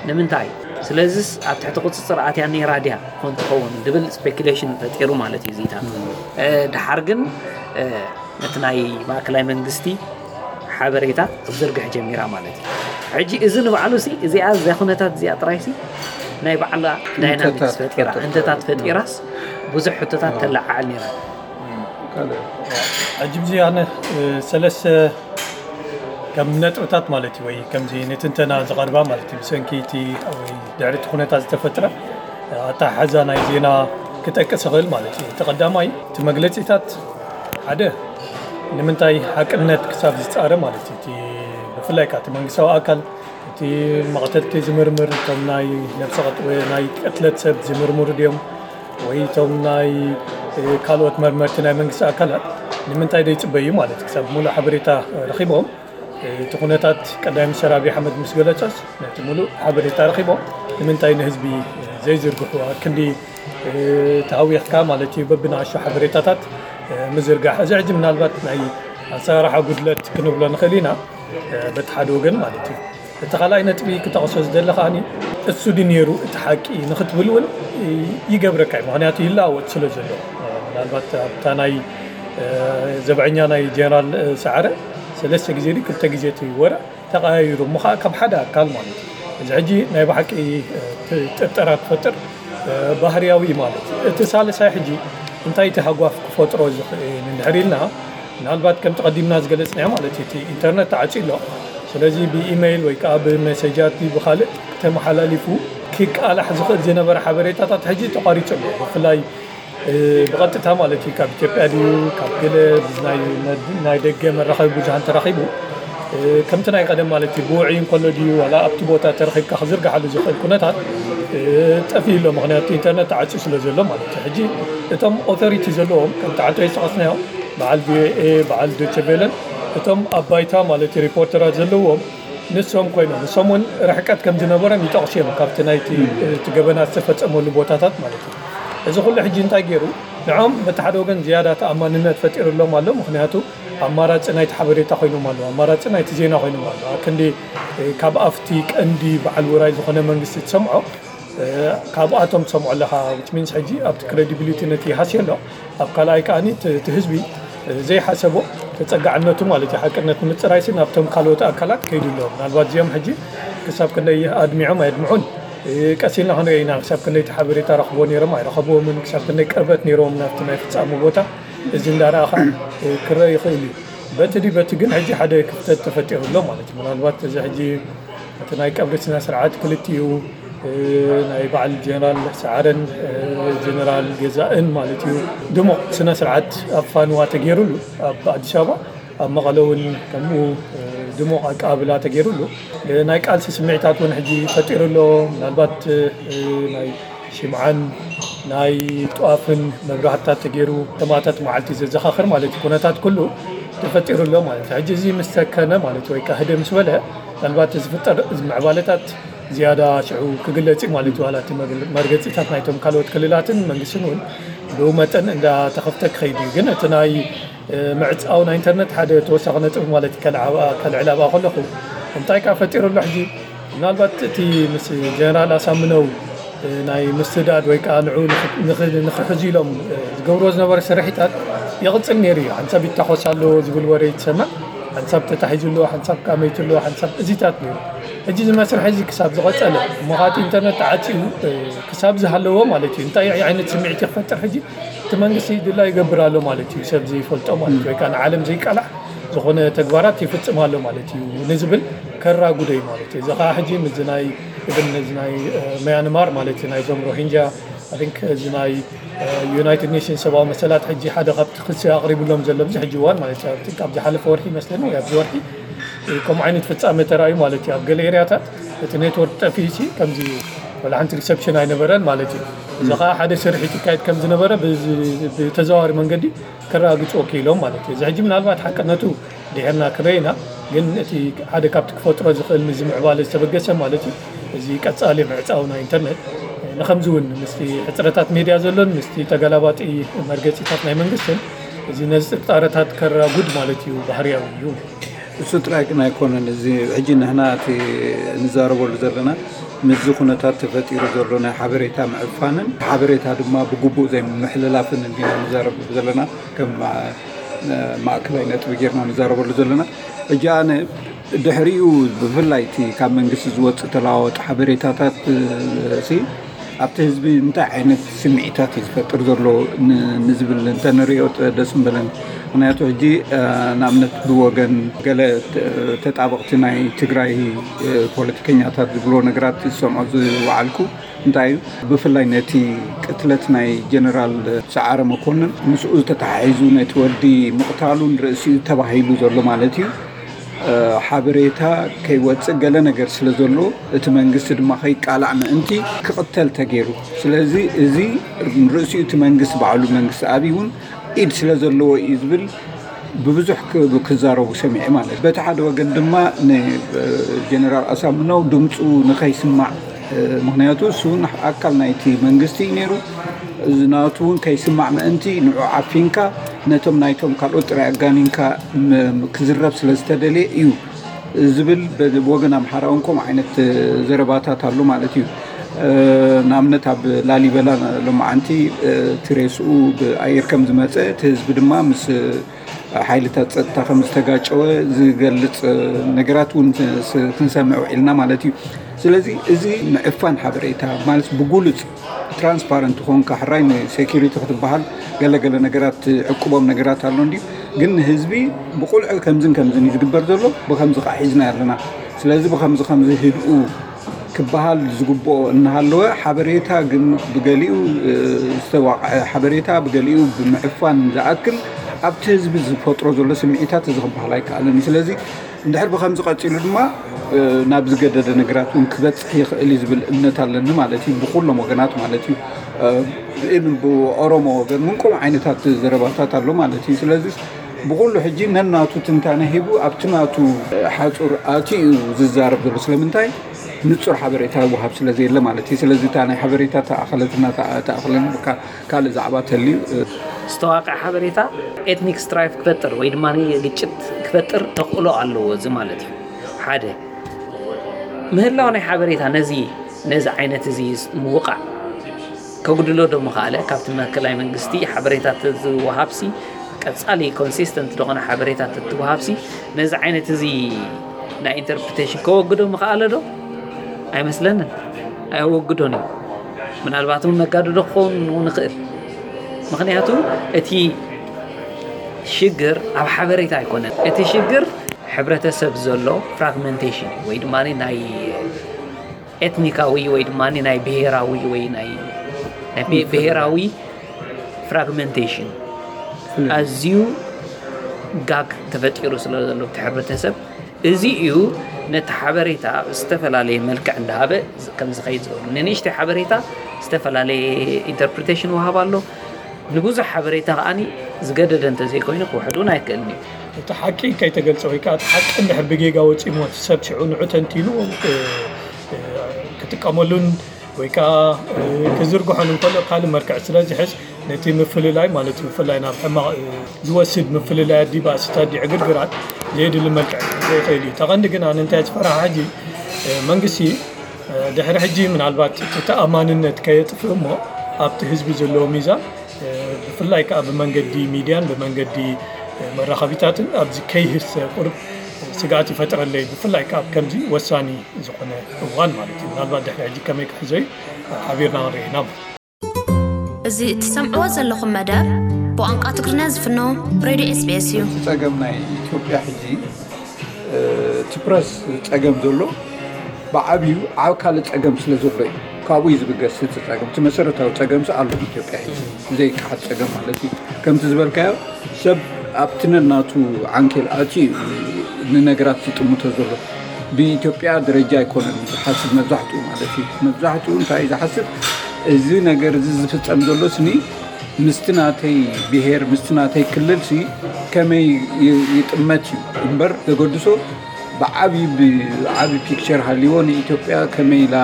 ንምንታይ? ስለዚስ ኣብ ትሕቲ ቁፅፅር ኣትያ ነይራ ድያ ኮን ትኸውን ድብል ስፔኩሌሽን ፈጢሩ ማለት እዩ ዚታት። ድሓር ግን ነቲ ናይ ማእከላይ መንግስቲ ሓበሬታ ክትዝርግሕ ጀሚራ ማለት እዩ። ሕጂ እዚ ንባዕሉ ሲ እዚኣ እዚኣ ኩነታት እዚኣ ጥራይ ሲ ናይ ባዕላ ዳይናሚክስ ፈጢራ፣ እንተታት ፈጢራስ ብዙሕ ሕቶታት ተለዓዕል ነይራ። ሕጂ ብዚ ኣነ ሰለስተ ከም ነጥብታት ማለት እዩ ወይ ከምዚ ንትንተና ዝቐርባ ማለት እዩ ብሰንኪ እቲ ወይ ድሕሪ እቲ ኩነታት ዝተፈጥረ ኣተሓሕዛ ናይ ዜና ክጠቅስ ይኽእል ማለት እዩ። እቲ ቀዳማይ እቲ መግለፂታት ሓደ ንምንታይ ሓቅነት ክሳብ ዝፃረ ማለት እዩ። እቲ ብፍላይ ከዓ እቲ መንግስታዊ ኣካል እቲ መቕተልቲ ዝምርምር እቶም ናይ ነብሰ ናይ ቅትለት ሰብ ዝምርምሩ ድዮም ወይ እቶም ናይ ካልኦት መርመርቲ ናይ መንግስቲ ኣካላት ንምንታይ ዘይፅበዩ ማለት ክሳብ ሙሉእ ሓበሬታ ረኺቦም እቲ ኩነታት ቀዳይ ሚኒስትር ኣብይ ኣሕመድ ምስ ገለፀስ ነቲ ሙሉእ ሓበሬታ ረኺቦም ንምንታይ ንህዝቢ ዘይዝርግሑ ኣብ ክንዲ ተሃዊኽካ ማለት እዩ በብንኣሽቱ ሓበሬታታት ምዝርጋሕ እዚ ሕጂ ምናልባት ናይ ኣሰራርሓ ጉድለት ክንብሎ ንኽእል ኢና በቲ ሓደ ወገን ማለት እዩ። እቲ ካልኣይ ነጥቢ ክጠቕሶ ዝደለ ከዓኒ እሱ ድዩ ነይሩ እቲ ሓቂ ንኽትብል እውን ይገብረካ እዩ። ምኽንያቱ ይለዋወጥ ስለ ዘሎ ምናልባት ኣብታ ናይ ዘብዐኛ ናይ ጀነራል ሰዓረ ሰለስተ ግዜ ድዩ ክልተ ግዜ እቲ ወረ ተቐያይሩ እሞ ከዓ ካብ ሓደ ኣካል ማለት እዩ። እዚ ሕጂ ናይ ብሓቂ ጥርጠራ ትፈጥር ባህርያዊ ማለት እዩ። እቲ ሳልሳይ ሕጂ እንታይ እቲ ሃጓፍ ክፈጥሮ ዝኽእል እንድሕር ኢልና ምናልባት ከምቲ ቀዲምና ዝገለፅናዮ ማለት እዩ እቲ ኢንተርነት ተዓፅዩ ኣሎ። ስለዚ ብኢመይል ወይ ከዓ ብመሴጃት ብካልእ ተመሓላሊፉ ክቃላሕ ዝኽእል ዝነበረ ሓበሬታታት ሕጂ ተቋሪፁ ኣሎ። ብፍላይ ብቐጥታ ማለት እዩ ካብ ኢትዮጵያ ድዩ ካብ ገለ ናይ ደገ መራኸቢ ብዙሃን ተረኺቡ ከምቲ ናይ ቀደም ማለት እዩ ብውዕይ እንከሎ ድዩ ዋላ ኣብቲ ቦታ ተረኺብካ ክዝርግሓሉ ዝኽእል ኩነታት ጠፊኡ ኣሎ። ምኽንያቱ ኢንተርነት ተዓፅዩ ስለ ዘሎ ማለት እዩ። ሕጂ እቶም ኦቶሪቲ ዘለዎም ከምቲ ዓንቶ ዝጠቐስናዮም በዓል ቪኦኤ በዓል ዶቸቬለን እቶም ኣብ ባይታ ማለት እዩ ሪፖርተራት ዘለዎም ንሶም ኮይኖም ንሶም እውን ርሕቀት ከም ዝነበሮም ይጠቕሱ እዮም ካብቲ ናይቲ እቲ ገበናት ዝተፈፀመሉ ቦታታት ማለት እዩ። እዚ ኩሉ ሕጂ እንታይ ገይሩ ንዖም በቲ ሓደ ወገን ዝያዳ ተኣማንነት ፈጢሩሎም ኣሎ። ምክንያቱ ኣማራፂ ናይቲ ሓበሬታ ኮይኖም ኣለዉ፣ ኣማራፂ ናይቲ ዜና ኮይኖም ኣለዉ። ኣብ ክንዲ ካብ ኣፍቲ ቀንዲ በዓል ውራይ ዝኾነ መንግስቲ ትሰምዖ ካብኣቶም ትሰምዖ ኣለኻ። Which means ሕጂ ኣብቲ ክሬዲቢሊቲ ነቲ ይሃስዮ ኣሎ። ኣብ ካልኣይ ከዓኒ እቲ ህዝቢ ዘይሓሰቦ ተፀጋዕነቱ ማለት እዩ ሓቅነት ንምፅራይሲ ናብቶም ካልኦት ኣካላት ከይዱ ኣሎ። ምናልባት እዚኦም ሕጂ ክሳብ ክንደይ ኣድሚዖም ኣየድምዑን ቀስ ኢልና ክንሪኦ ኢና። ክሳብ ክንደይቲ ሓበሬታ ረኽቦ ነይሮም ኣይረኸብዎምን፣ ክሳብ ክንደይ ቅርበት ነይሮም ናብቲ ናይ ፍጻሙ ቦታ፣ እዚ እንዳረኣኻ ክረአ ይኽእል እዩ። በቲ ድዩ በቲ ግን ሕጂ ሓደ ክፍተት ተፈጢሩ ኣሎ ማለት እዩ። ምናልባት እዚ ሕጂ እቲ ናይ ቀብሪ ስነ ስርዓት ክልቲኡ ናይ በዓል ጀነራል ሰዓረን ጀነራል ገዛእን ማለት እዩ፣ ድሙቕ ስነ ስርዓት ኣብ ፋንዋ ተገይሩሉ ኣብ ኣዲስ ኣበባ፣ ኣብ መቐለ እውን ከምኡ ድሙቕ ኣቀባብላ ተገይሩሉ። ናይ ቃልሲ ስምዒታት እውን ሕጂ ፈጢሩ ኣሎ። ምናልባት ናይ ሽምዓን ናይ ጧፍን መብራህትታት ተገይሩ ሰማእታት መዓልቲ ዘዘኻኽር ማለት እዩ። ኩነታት ኩሉ ተፈጢሩ ኣሎ ማለት እዩ። ሕጂ እዚ ምስ ሰከነ ማለት እዩ፣ ወይ ከዓ ህደ ምስ በለ፣ ምናልባት ዝፍጠር እዚ ምዕባለታት ዝያዳ ሽዑ ክግለጽ እዩ ማለት እዩ። ዋላ እቲ መግል- መርገጺታት ናይቶም ካልኦት ክልላትን መንግስትን እውን ብኡ መጠን እንዳተኸፍተ ክኸይድ እዩ። ግን እቲ ናይ ምዕጻው ናይ ኢንተርነት ሓደ ተወሳኺ ነጥቢ ማለት እዩ። ከልዓባ- ከልዕል ኣብኣ ከለኹ እንታይ ከኣ ፈጢሩ ኣሎ ሕጂ? ምናልባት እቲ ምስ ጀነራል ኣሳምነው ናይ ምስዳድ ወይ ከዓ ንዑ ንኽ- ንኽ- ንኽሕዙ ኢሎም ዝገብርዎ ዝነበረ ስርሒታት ይቕጽል ነይሩ እዩ። ሓንሳብ ይታኾስ ኣሎ ዝብል ወረ ይትሰማዕ፣ ሓንሳብ ተታሒዙ ኣሎ፣ ሓንሳብ ከዓ መይቱ ኣሎ፣ ሓንሳብ እዚታት ነይሩ። ሕጂ እዚ መስርሒ እዚ ክሳብ ዝቐጸለ እሞ ከኣ እቲ ኢንተርነት ተዓጺኡ ክሳብ ዝሃለዎ ማለት እዩ። እንታይ ዓይነት ስምዒት ይፈጥር ሕጂ? እቲ መንግስቲ ድላ ይገብር ኣሎ ማለት እዩ። ሰብ ዘይፈልጦ ማለት እዩ፣ ወይ ከዓ ንዓለም ዘይቃላዕ ዝኾነ ተግባራት ይፍጽም ኣሎ ማለት እዩ ንዝብል ከራጉዶ እዩ ማለት እዩ። እዚ ከዓ ሕጂ ምስዚ ናይ እብን ነዚ ናይ ምያንማር ማለት እዩ ናይዞም ሮሂንጃ ኣይ ቲንክ እዚ ናይ ዩናይትድ ኔሽንስ ሰብኣዊ መሰላት ሕጂ ሓደ ካብቲ ክሲ ኣቕሪብሎም ዘሎ ኣብዚ ሕጂ እዋን ማለት እዩ። ኣይ ቲንክ ኣብ ዝሓለፈ ወርሒ ይመስለኒ ወይ ኣብዚ ወርሒ ከምኡ ዓይነት ፍጻመ ተራእዩ ማለት እዩ። ኣብ ገለ ኤርያታት እቲ ኔትወርክ ጠፊኡ ሲ ከምዚ ወላ ሓንቲ ሪሰፕሽን ኣይነበረን ማለት እዩ። እዚ ከዓ ሓደ ስርሒት ይካየድ ከም ዝነበረ ብዚ- ብተዘዋዋሪ መንገዲ ከረጋግጽዎ ክኢሎም ማለት እዩ። እዚ ሕጂ ምናልባት ሓቅነቱ ድሕርና ክንርኢ ኢና፣ ግን እቲ ሓደ ካብቲ ክፈጥሮ ዝኽእል ምዚ ምዕባለ ዝተበገሰ ማለት እዩ። እዚ ቀጻሊ ምዕጻው ናይ ኢንተርነት ንኸምዚ እውን ምስቲ ሕጽረታት ሜድያ ዘሎን ምስቲ ተገላባጢ መርገጺታት ናይ መንግስትን እዚ ነዚ ጥርጣረታት ከራጉድ ማለት እዩ ባህርያዊ እዩ። እሱ ጥራይ ግን ኣይኮነን። እዚ ሕጂ ንሕና እቲ ንዛረበሉ ዘለና ምስዚ ኩነታት ተፈጢሩ ዘሎ ናይ ሓበሬታ ምዕፋንን ሓበሬታ ድማ ብግቡእ ዘይምሕልላፍን እንዲና ንዛረበሉ ዘለና፣ ከም ማ- ማእከላይ ነጥቢ ጌርና ንዛረበሉ ዘለና። ሕጂ ኣነ ድሕሪኡ ብፍላይ እቲ ካብ መንግስቲ ዝወፅእ ተለዋወጢ ሓበሬታታት እ፣ ሲ ኣብቲ ህዝቢ እንታይ ዓይነት ስምዒታት እዩ ዝፈጥር ዘሎ ን- ንዝብል እንተንሪኦ ጥ- ደስ ምበለን። ምክንያቱ ሕጂ እ፣ ንኣብነት ብወገን ገለ ተ- ተጣበቕቲ ናይ ትግራይ እ፣ ፖለቲከኛታት ዝብልዎ ነገራት ዝሰምዖ ዝወዓልኩ እንታይ እዩ፣ ብፍላይ ነቲ ቅትለት ናይ ጀነራል ሰዓረ መኮንን ምስኡ ዝተተሓሒዙ ነቲ ወዲ ምቕታሉን ርእሲኡ ተባሂሉ ዘሎ ማለት እዩ ሓበሬታ ከይወፅእ ገለ ነገር ስለ ዘሎ እቲ መንግስቲ ድማ ከይቃላዕ ምእንቲ ክቕተል ተገይሩ። ስለዚ እዚ ርእሲኡ እቲ መንግስቲ ባዕሉ መንግስቲ ኣብይ እውን ኢድ ስለ ዘለዎ እዩ ዝብል ብብዙሕ ክዛረቡ ሰሚዐ ማለት እዩ። በቲ ሓደ ወገን ድማ ንጀነራል ኣሳምነው ድምፁ ንኸይስማዕ ምክንያቱ እሱ እውን ኣካል ናይቲ መንግስቲ እዩ ነይሩ። እዚ ናቱ እውን ከይስማዕ ምእንቲ ንዑ ዓፊንካ ነቶም ናይቶም ካልኦት ጥራይ ኣጋኒንካ ክዝረብ ስለ ዝተደልየ እዩ ዝብል ብወገን ኣምሓራ እውን ከምኡ ዓይነት ዘረባታት ኣሎ ማለት እዩ። ንኣብነት ኣብ ላሊበላ ሎማዓንቲ እቲ ሬስኡ ብኣየር ከም ዝመፀ እቲ ህዝቢ ድማ ምስ ሓይልታት ፀጥታ ከም ዝተጋጨወ ዝገልፅ ነገራት እውን ክንሰምዕ ውዒልና ማለት እዩ። ስለዚ እዚ ምዕፋን ሓበሬታ ማለት ብጉሉፅ ትራንስፓረንት ኮንካ ሕራይ ንሴኪሪቲ ክትበሃል ገለገለ ነገራት ዕቁቦም ነገራት ኣሎ እንዲዩ ግን ንህዝቢ ብቁልዕ ከምዝን ከምዝን እዩ ዝግበር ዘሎ ብከምዚ ከዓ ሒዝና ኣለና ስለዚ ብከምዚ ከምዚ ህድኡ ክበሃል ዝግብኦ እናሃለወ ሓበሬታ ግን ብገሊኡ ዝተዋቕዐ ሓበሬታ ብገሊኡ ብምዕፋን ዝኣክል ኣብቲ ህዝቢ ዝፈጥሮ ዘሎ ስምዒታት እዚ ክበሃል ኣይከኣልን እዩ ስለዚ እንድሕር ብከምዚ ቀፂሉ ድማ ናብ ዝገደደ ነገራት እውን ክበፅሕ ይኽእል እዩ ዝብል እምነት ኣለኒ ማለት እዩ ብኩሎም ወገናት ማለት እዩ ብኦሮሞ ወገን እውን ከምኡ ዓይነታት ዘረባታት ኣሎ ማለት እዩ ስለዚ ብኩሉ ሕጂ ነናቱ ትንታነ ሂቡ ኣብቲ ናቱ ሓፁር ኣትዩ እዩ ዝዛረብ ዘሎ ስለምንታይ ንፁር ሓበሬታ ይወሃብ ስለ ዘየለ ማለት እዩ ስለዚ እታ ናይ ሓበሬታ ተኣኸለትና ተኣኸለን ካልእ ዛዕባ ተልዩ ዝተዋቀ ሓበሬታ ኤትኒክ ስትራይፍ ክፈጥር ወይ ድማ ግጭት ክፈጥር ተኽእሎ ኣለዎ እዚ ማለት እዩ ሓደ ምህላው ናይ ሓበሬታ ነዚ ነዚ ዓይነት እዚ ምውቃዕ ከጉድሎ ዶ ምኽኣለ ካብቲ መከላይ መንግስቲ ሓበሬታት ዝወሃብሲ ቀፃሊ ኮንሲስተንት ዝኾነ ሓበሬታት እትወሃብሲ ነዚ ዓይነት እዚ ናይ ኢንተርፕሪቴሽን ከወግዶ ምኽኣለ ዶ ኣይመስለንን ኣየወግዶን እዩ። ምናልባት እውን ነጋድዶ ክኸውን ንኽእል። ምኽንያቱ እቲ ሽግር ኣብ ሓበሬታ ኣይኮነን። እቲ ሽግር ሕብረተሰብ ዘሎ ፍራግመንቴሽን ወይ ድማ ናይ ኤትኒካዊ ወይ ድማ ናይ ብሄራዊ ወይ ናይ ናይ ብሄ- ብሄራዊ ፍራግመንቴሽን ኣዝዩ ጋግ ተፈጢሩ ስለ ዘሎ እቲ ሕብረተሰብ እዚ እዩ ነቲ ሓበሬታ ዝተፈላለየ መልክዕ እንዳሃበ ከም ዝኸይድ ዝገብሩ። ንንእሽተይ ሓበሬታ ዝተፈላለየ ኢንተርፕሪቴሽን ወሃብ ኣሎ። ንብዙሕ ሓበሬታ ከዓኒ ዝገደደ እንተዘይኮይኑ ክውሕድ እውን ኣይክእልን እዩ። እቲ ሓቂ ከይተገልጸ ወይ ከዓ እቲ ሓቂ እንድሕር ብጌጋ ወፂሞ እቲ ሰብ ሽዑ ንዑ ተንቲኑ ክጥቀመሉን ወይ ከዓ ክዝርግሖን እንከሎ ካልእ መልክዕ ስለ ዝሕዝ ነቲ ምፍልላይ ማለት እዩ ብፍላይ ናብ ሕማቕ ዝወስድ ምፍልላይ ኣዲ ባእስታት ዲ ዕግርግራት ዘየድሊ መልክዕ ክሕዞ ይኽእል እዩ። ተቐንዲ ግን ኣነ እንታይ ዝፈርሓ ሕጂ መንግስቲ ድሕሪ ሕጂ ምናልባት እቲ ተኣማንነት ከየጥፍእ እሞ ኣብቲ ህዝቢ ዘለዎ ሚዛን ብፍላይ ከዓ ብመንገዲ ሚድያን ብመንገዲ መራኸቢታትን ኣብዚ ከይህሰ ቁርብ ስግኣት ይፈጥረለይ ብፍላይ ከዓ ከምዚ ወሳኒ ዝኾነ እዋን ማለት እዩ። ምናልባት ድሕሪ ሕጂ ከመይ ክሕዞ እዩ ሓቢርና ክንርኢ ኢና። እዚ እትሰምዕዎ ዘለኹም መደብ ብቋንቋ ትግርኛ ዝፍኖ ሬድዮ ኤስቢኤስ እዩ። እቲ ጸገም ናይ ኢትዮጵያ ሕጂ እቲ ፕረስ ጸገም ዘሎ ብዓብዩ ዓብ ካልእ ጸገም ስለ ዘሎ እዩ። ካብኡ እዩ ዝብገስ እቲ ጸገም። እቲ መሰረታዊ ጸገምሲ ኣሎ ኢትዮጵያ ሕጂ ዘይከሓድ ጸገም ማለት እዩ። ከምቲ ዝበልካዮ ሰብ ኣብቲ ነናቱ ዓንኬል ኣትዩ እዩ ንነገራት ዝጥምቶ ዘሎ። ብኢትዮጵያ ደረጃ ኣይኮነን ዝሓስብ መብዛሕትኡ ማለት እዩ። መብዛሕትኡ እንታይ እዩ ዝሓስብ እዚ ነገር እዚ ዝፍጸም ዘሎ ስኒ ምስቲ ናተይ ብሄር ምስቲ ናተይ ክልል ሲ ከመይ ይጥመት እዩ እምበር ዘገድሶ ብዓብዪ ብዓብዪ ፒክቸር ሃልይዎ ንኢትዮጵያ ከመይ ኢላ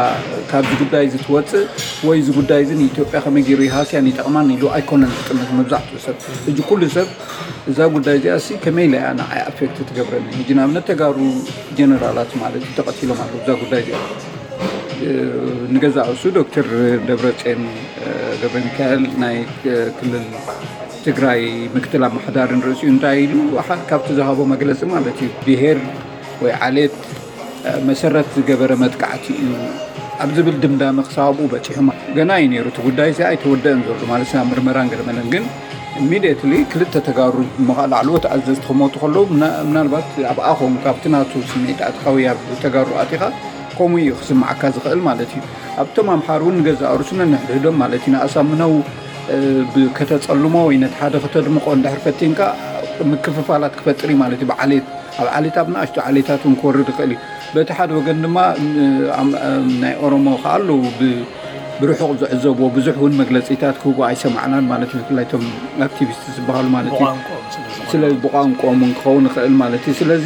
ካብዚ ጉዳይ እዚ ትወፅእ ወይ እዚ ጉዳይ እዚ ንኢትዮጵያ ከመይ ገይሩ ይሃስያን ይጠቕማን ኢሉ ኣይኮነን ዝጥምት መብዛሕትኡ ሰብ። ሕጂ ኩሉ ሰብ እዛ ጉዳይ እዚኣ ሲ ከመይ ኢላ እያ ንዓይ ኣፌክት ትገብረኒ? ሕጂ ንኣብነት ተጋሩ ጀነራላት ማለት እዩ ተቐቲሎም ኣለዉ እዛ ጉዳይ እዚኣ። ንገዛእ ርእሱ ዶክተር ደብረፅዮን ገብረሚካኤል ናይ ክልል ትግራይ ምክትል ኣመሓዳሪ ንርእሲኡ እንታይ ኢሉ ሓደ ካብቲ ዝሃቦ መግለፂ ማለት እዩ ብሄር ወይ ዓሌት መሰረት ዝገበረ መጥቃዕቲ እዩ ኣብ ዝብል ድምዳመ ክሳብ ኣብኡ በፂሑ። ገና እዩ ነይሩ እቲ ጉዳይ እዚ ኣይተወደአን ዘሎ ማለት ናብ ምርመራን ገለመለን ግን ኢሚድየትሊ ክልተ ተጋሩ እሞ ከዓ ላዕለዎት ኣዘዝቲ ክሞቱ ከለዉ ምናልባት ኣብኣ ኾንካ ኣብቲ ናቱ ስምዒት ኣትኻ ወይ ኣብ ተጋሩ ኣቲኻ ከምኡ እዩ ክስምዓካ ዝኽእል ማለት እዩ። ኣብቶም ኣምሓሩ እውን ንገዛእ ርእሱ ነንሕድሕዶም ማለት እዩ ንኣሳምነው ከተጸልሞ ወይ ነቲ ሓደ ከተድምቖ እንድሕር ፈቲንካ ምክፍፋላት ክፈጥር እዩ ማለት እዩ። ብዓሌት ኣብ ዓሌት ኣብ ንኣሽቱ ዓሌታት እውን ክወርድ ይኽእል እዩ። በቲ ሓደ ወገን ድማ ናይ ኦሮሞ ከዓ ኣለዉ ብርሑቕ ዝዕዘብዎ ብዙሕ እውን መግለፂታት ክህቡ ኣይሰማዕናን ማለት እዩ። ብፍላይ እቶም ኣክቲቪስት ዝበሃሉ ማለት እዩ። ስለ ብቋንቋኦም እውን ክኸውን ይኽእል ማለት እዩ። ስለዚ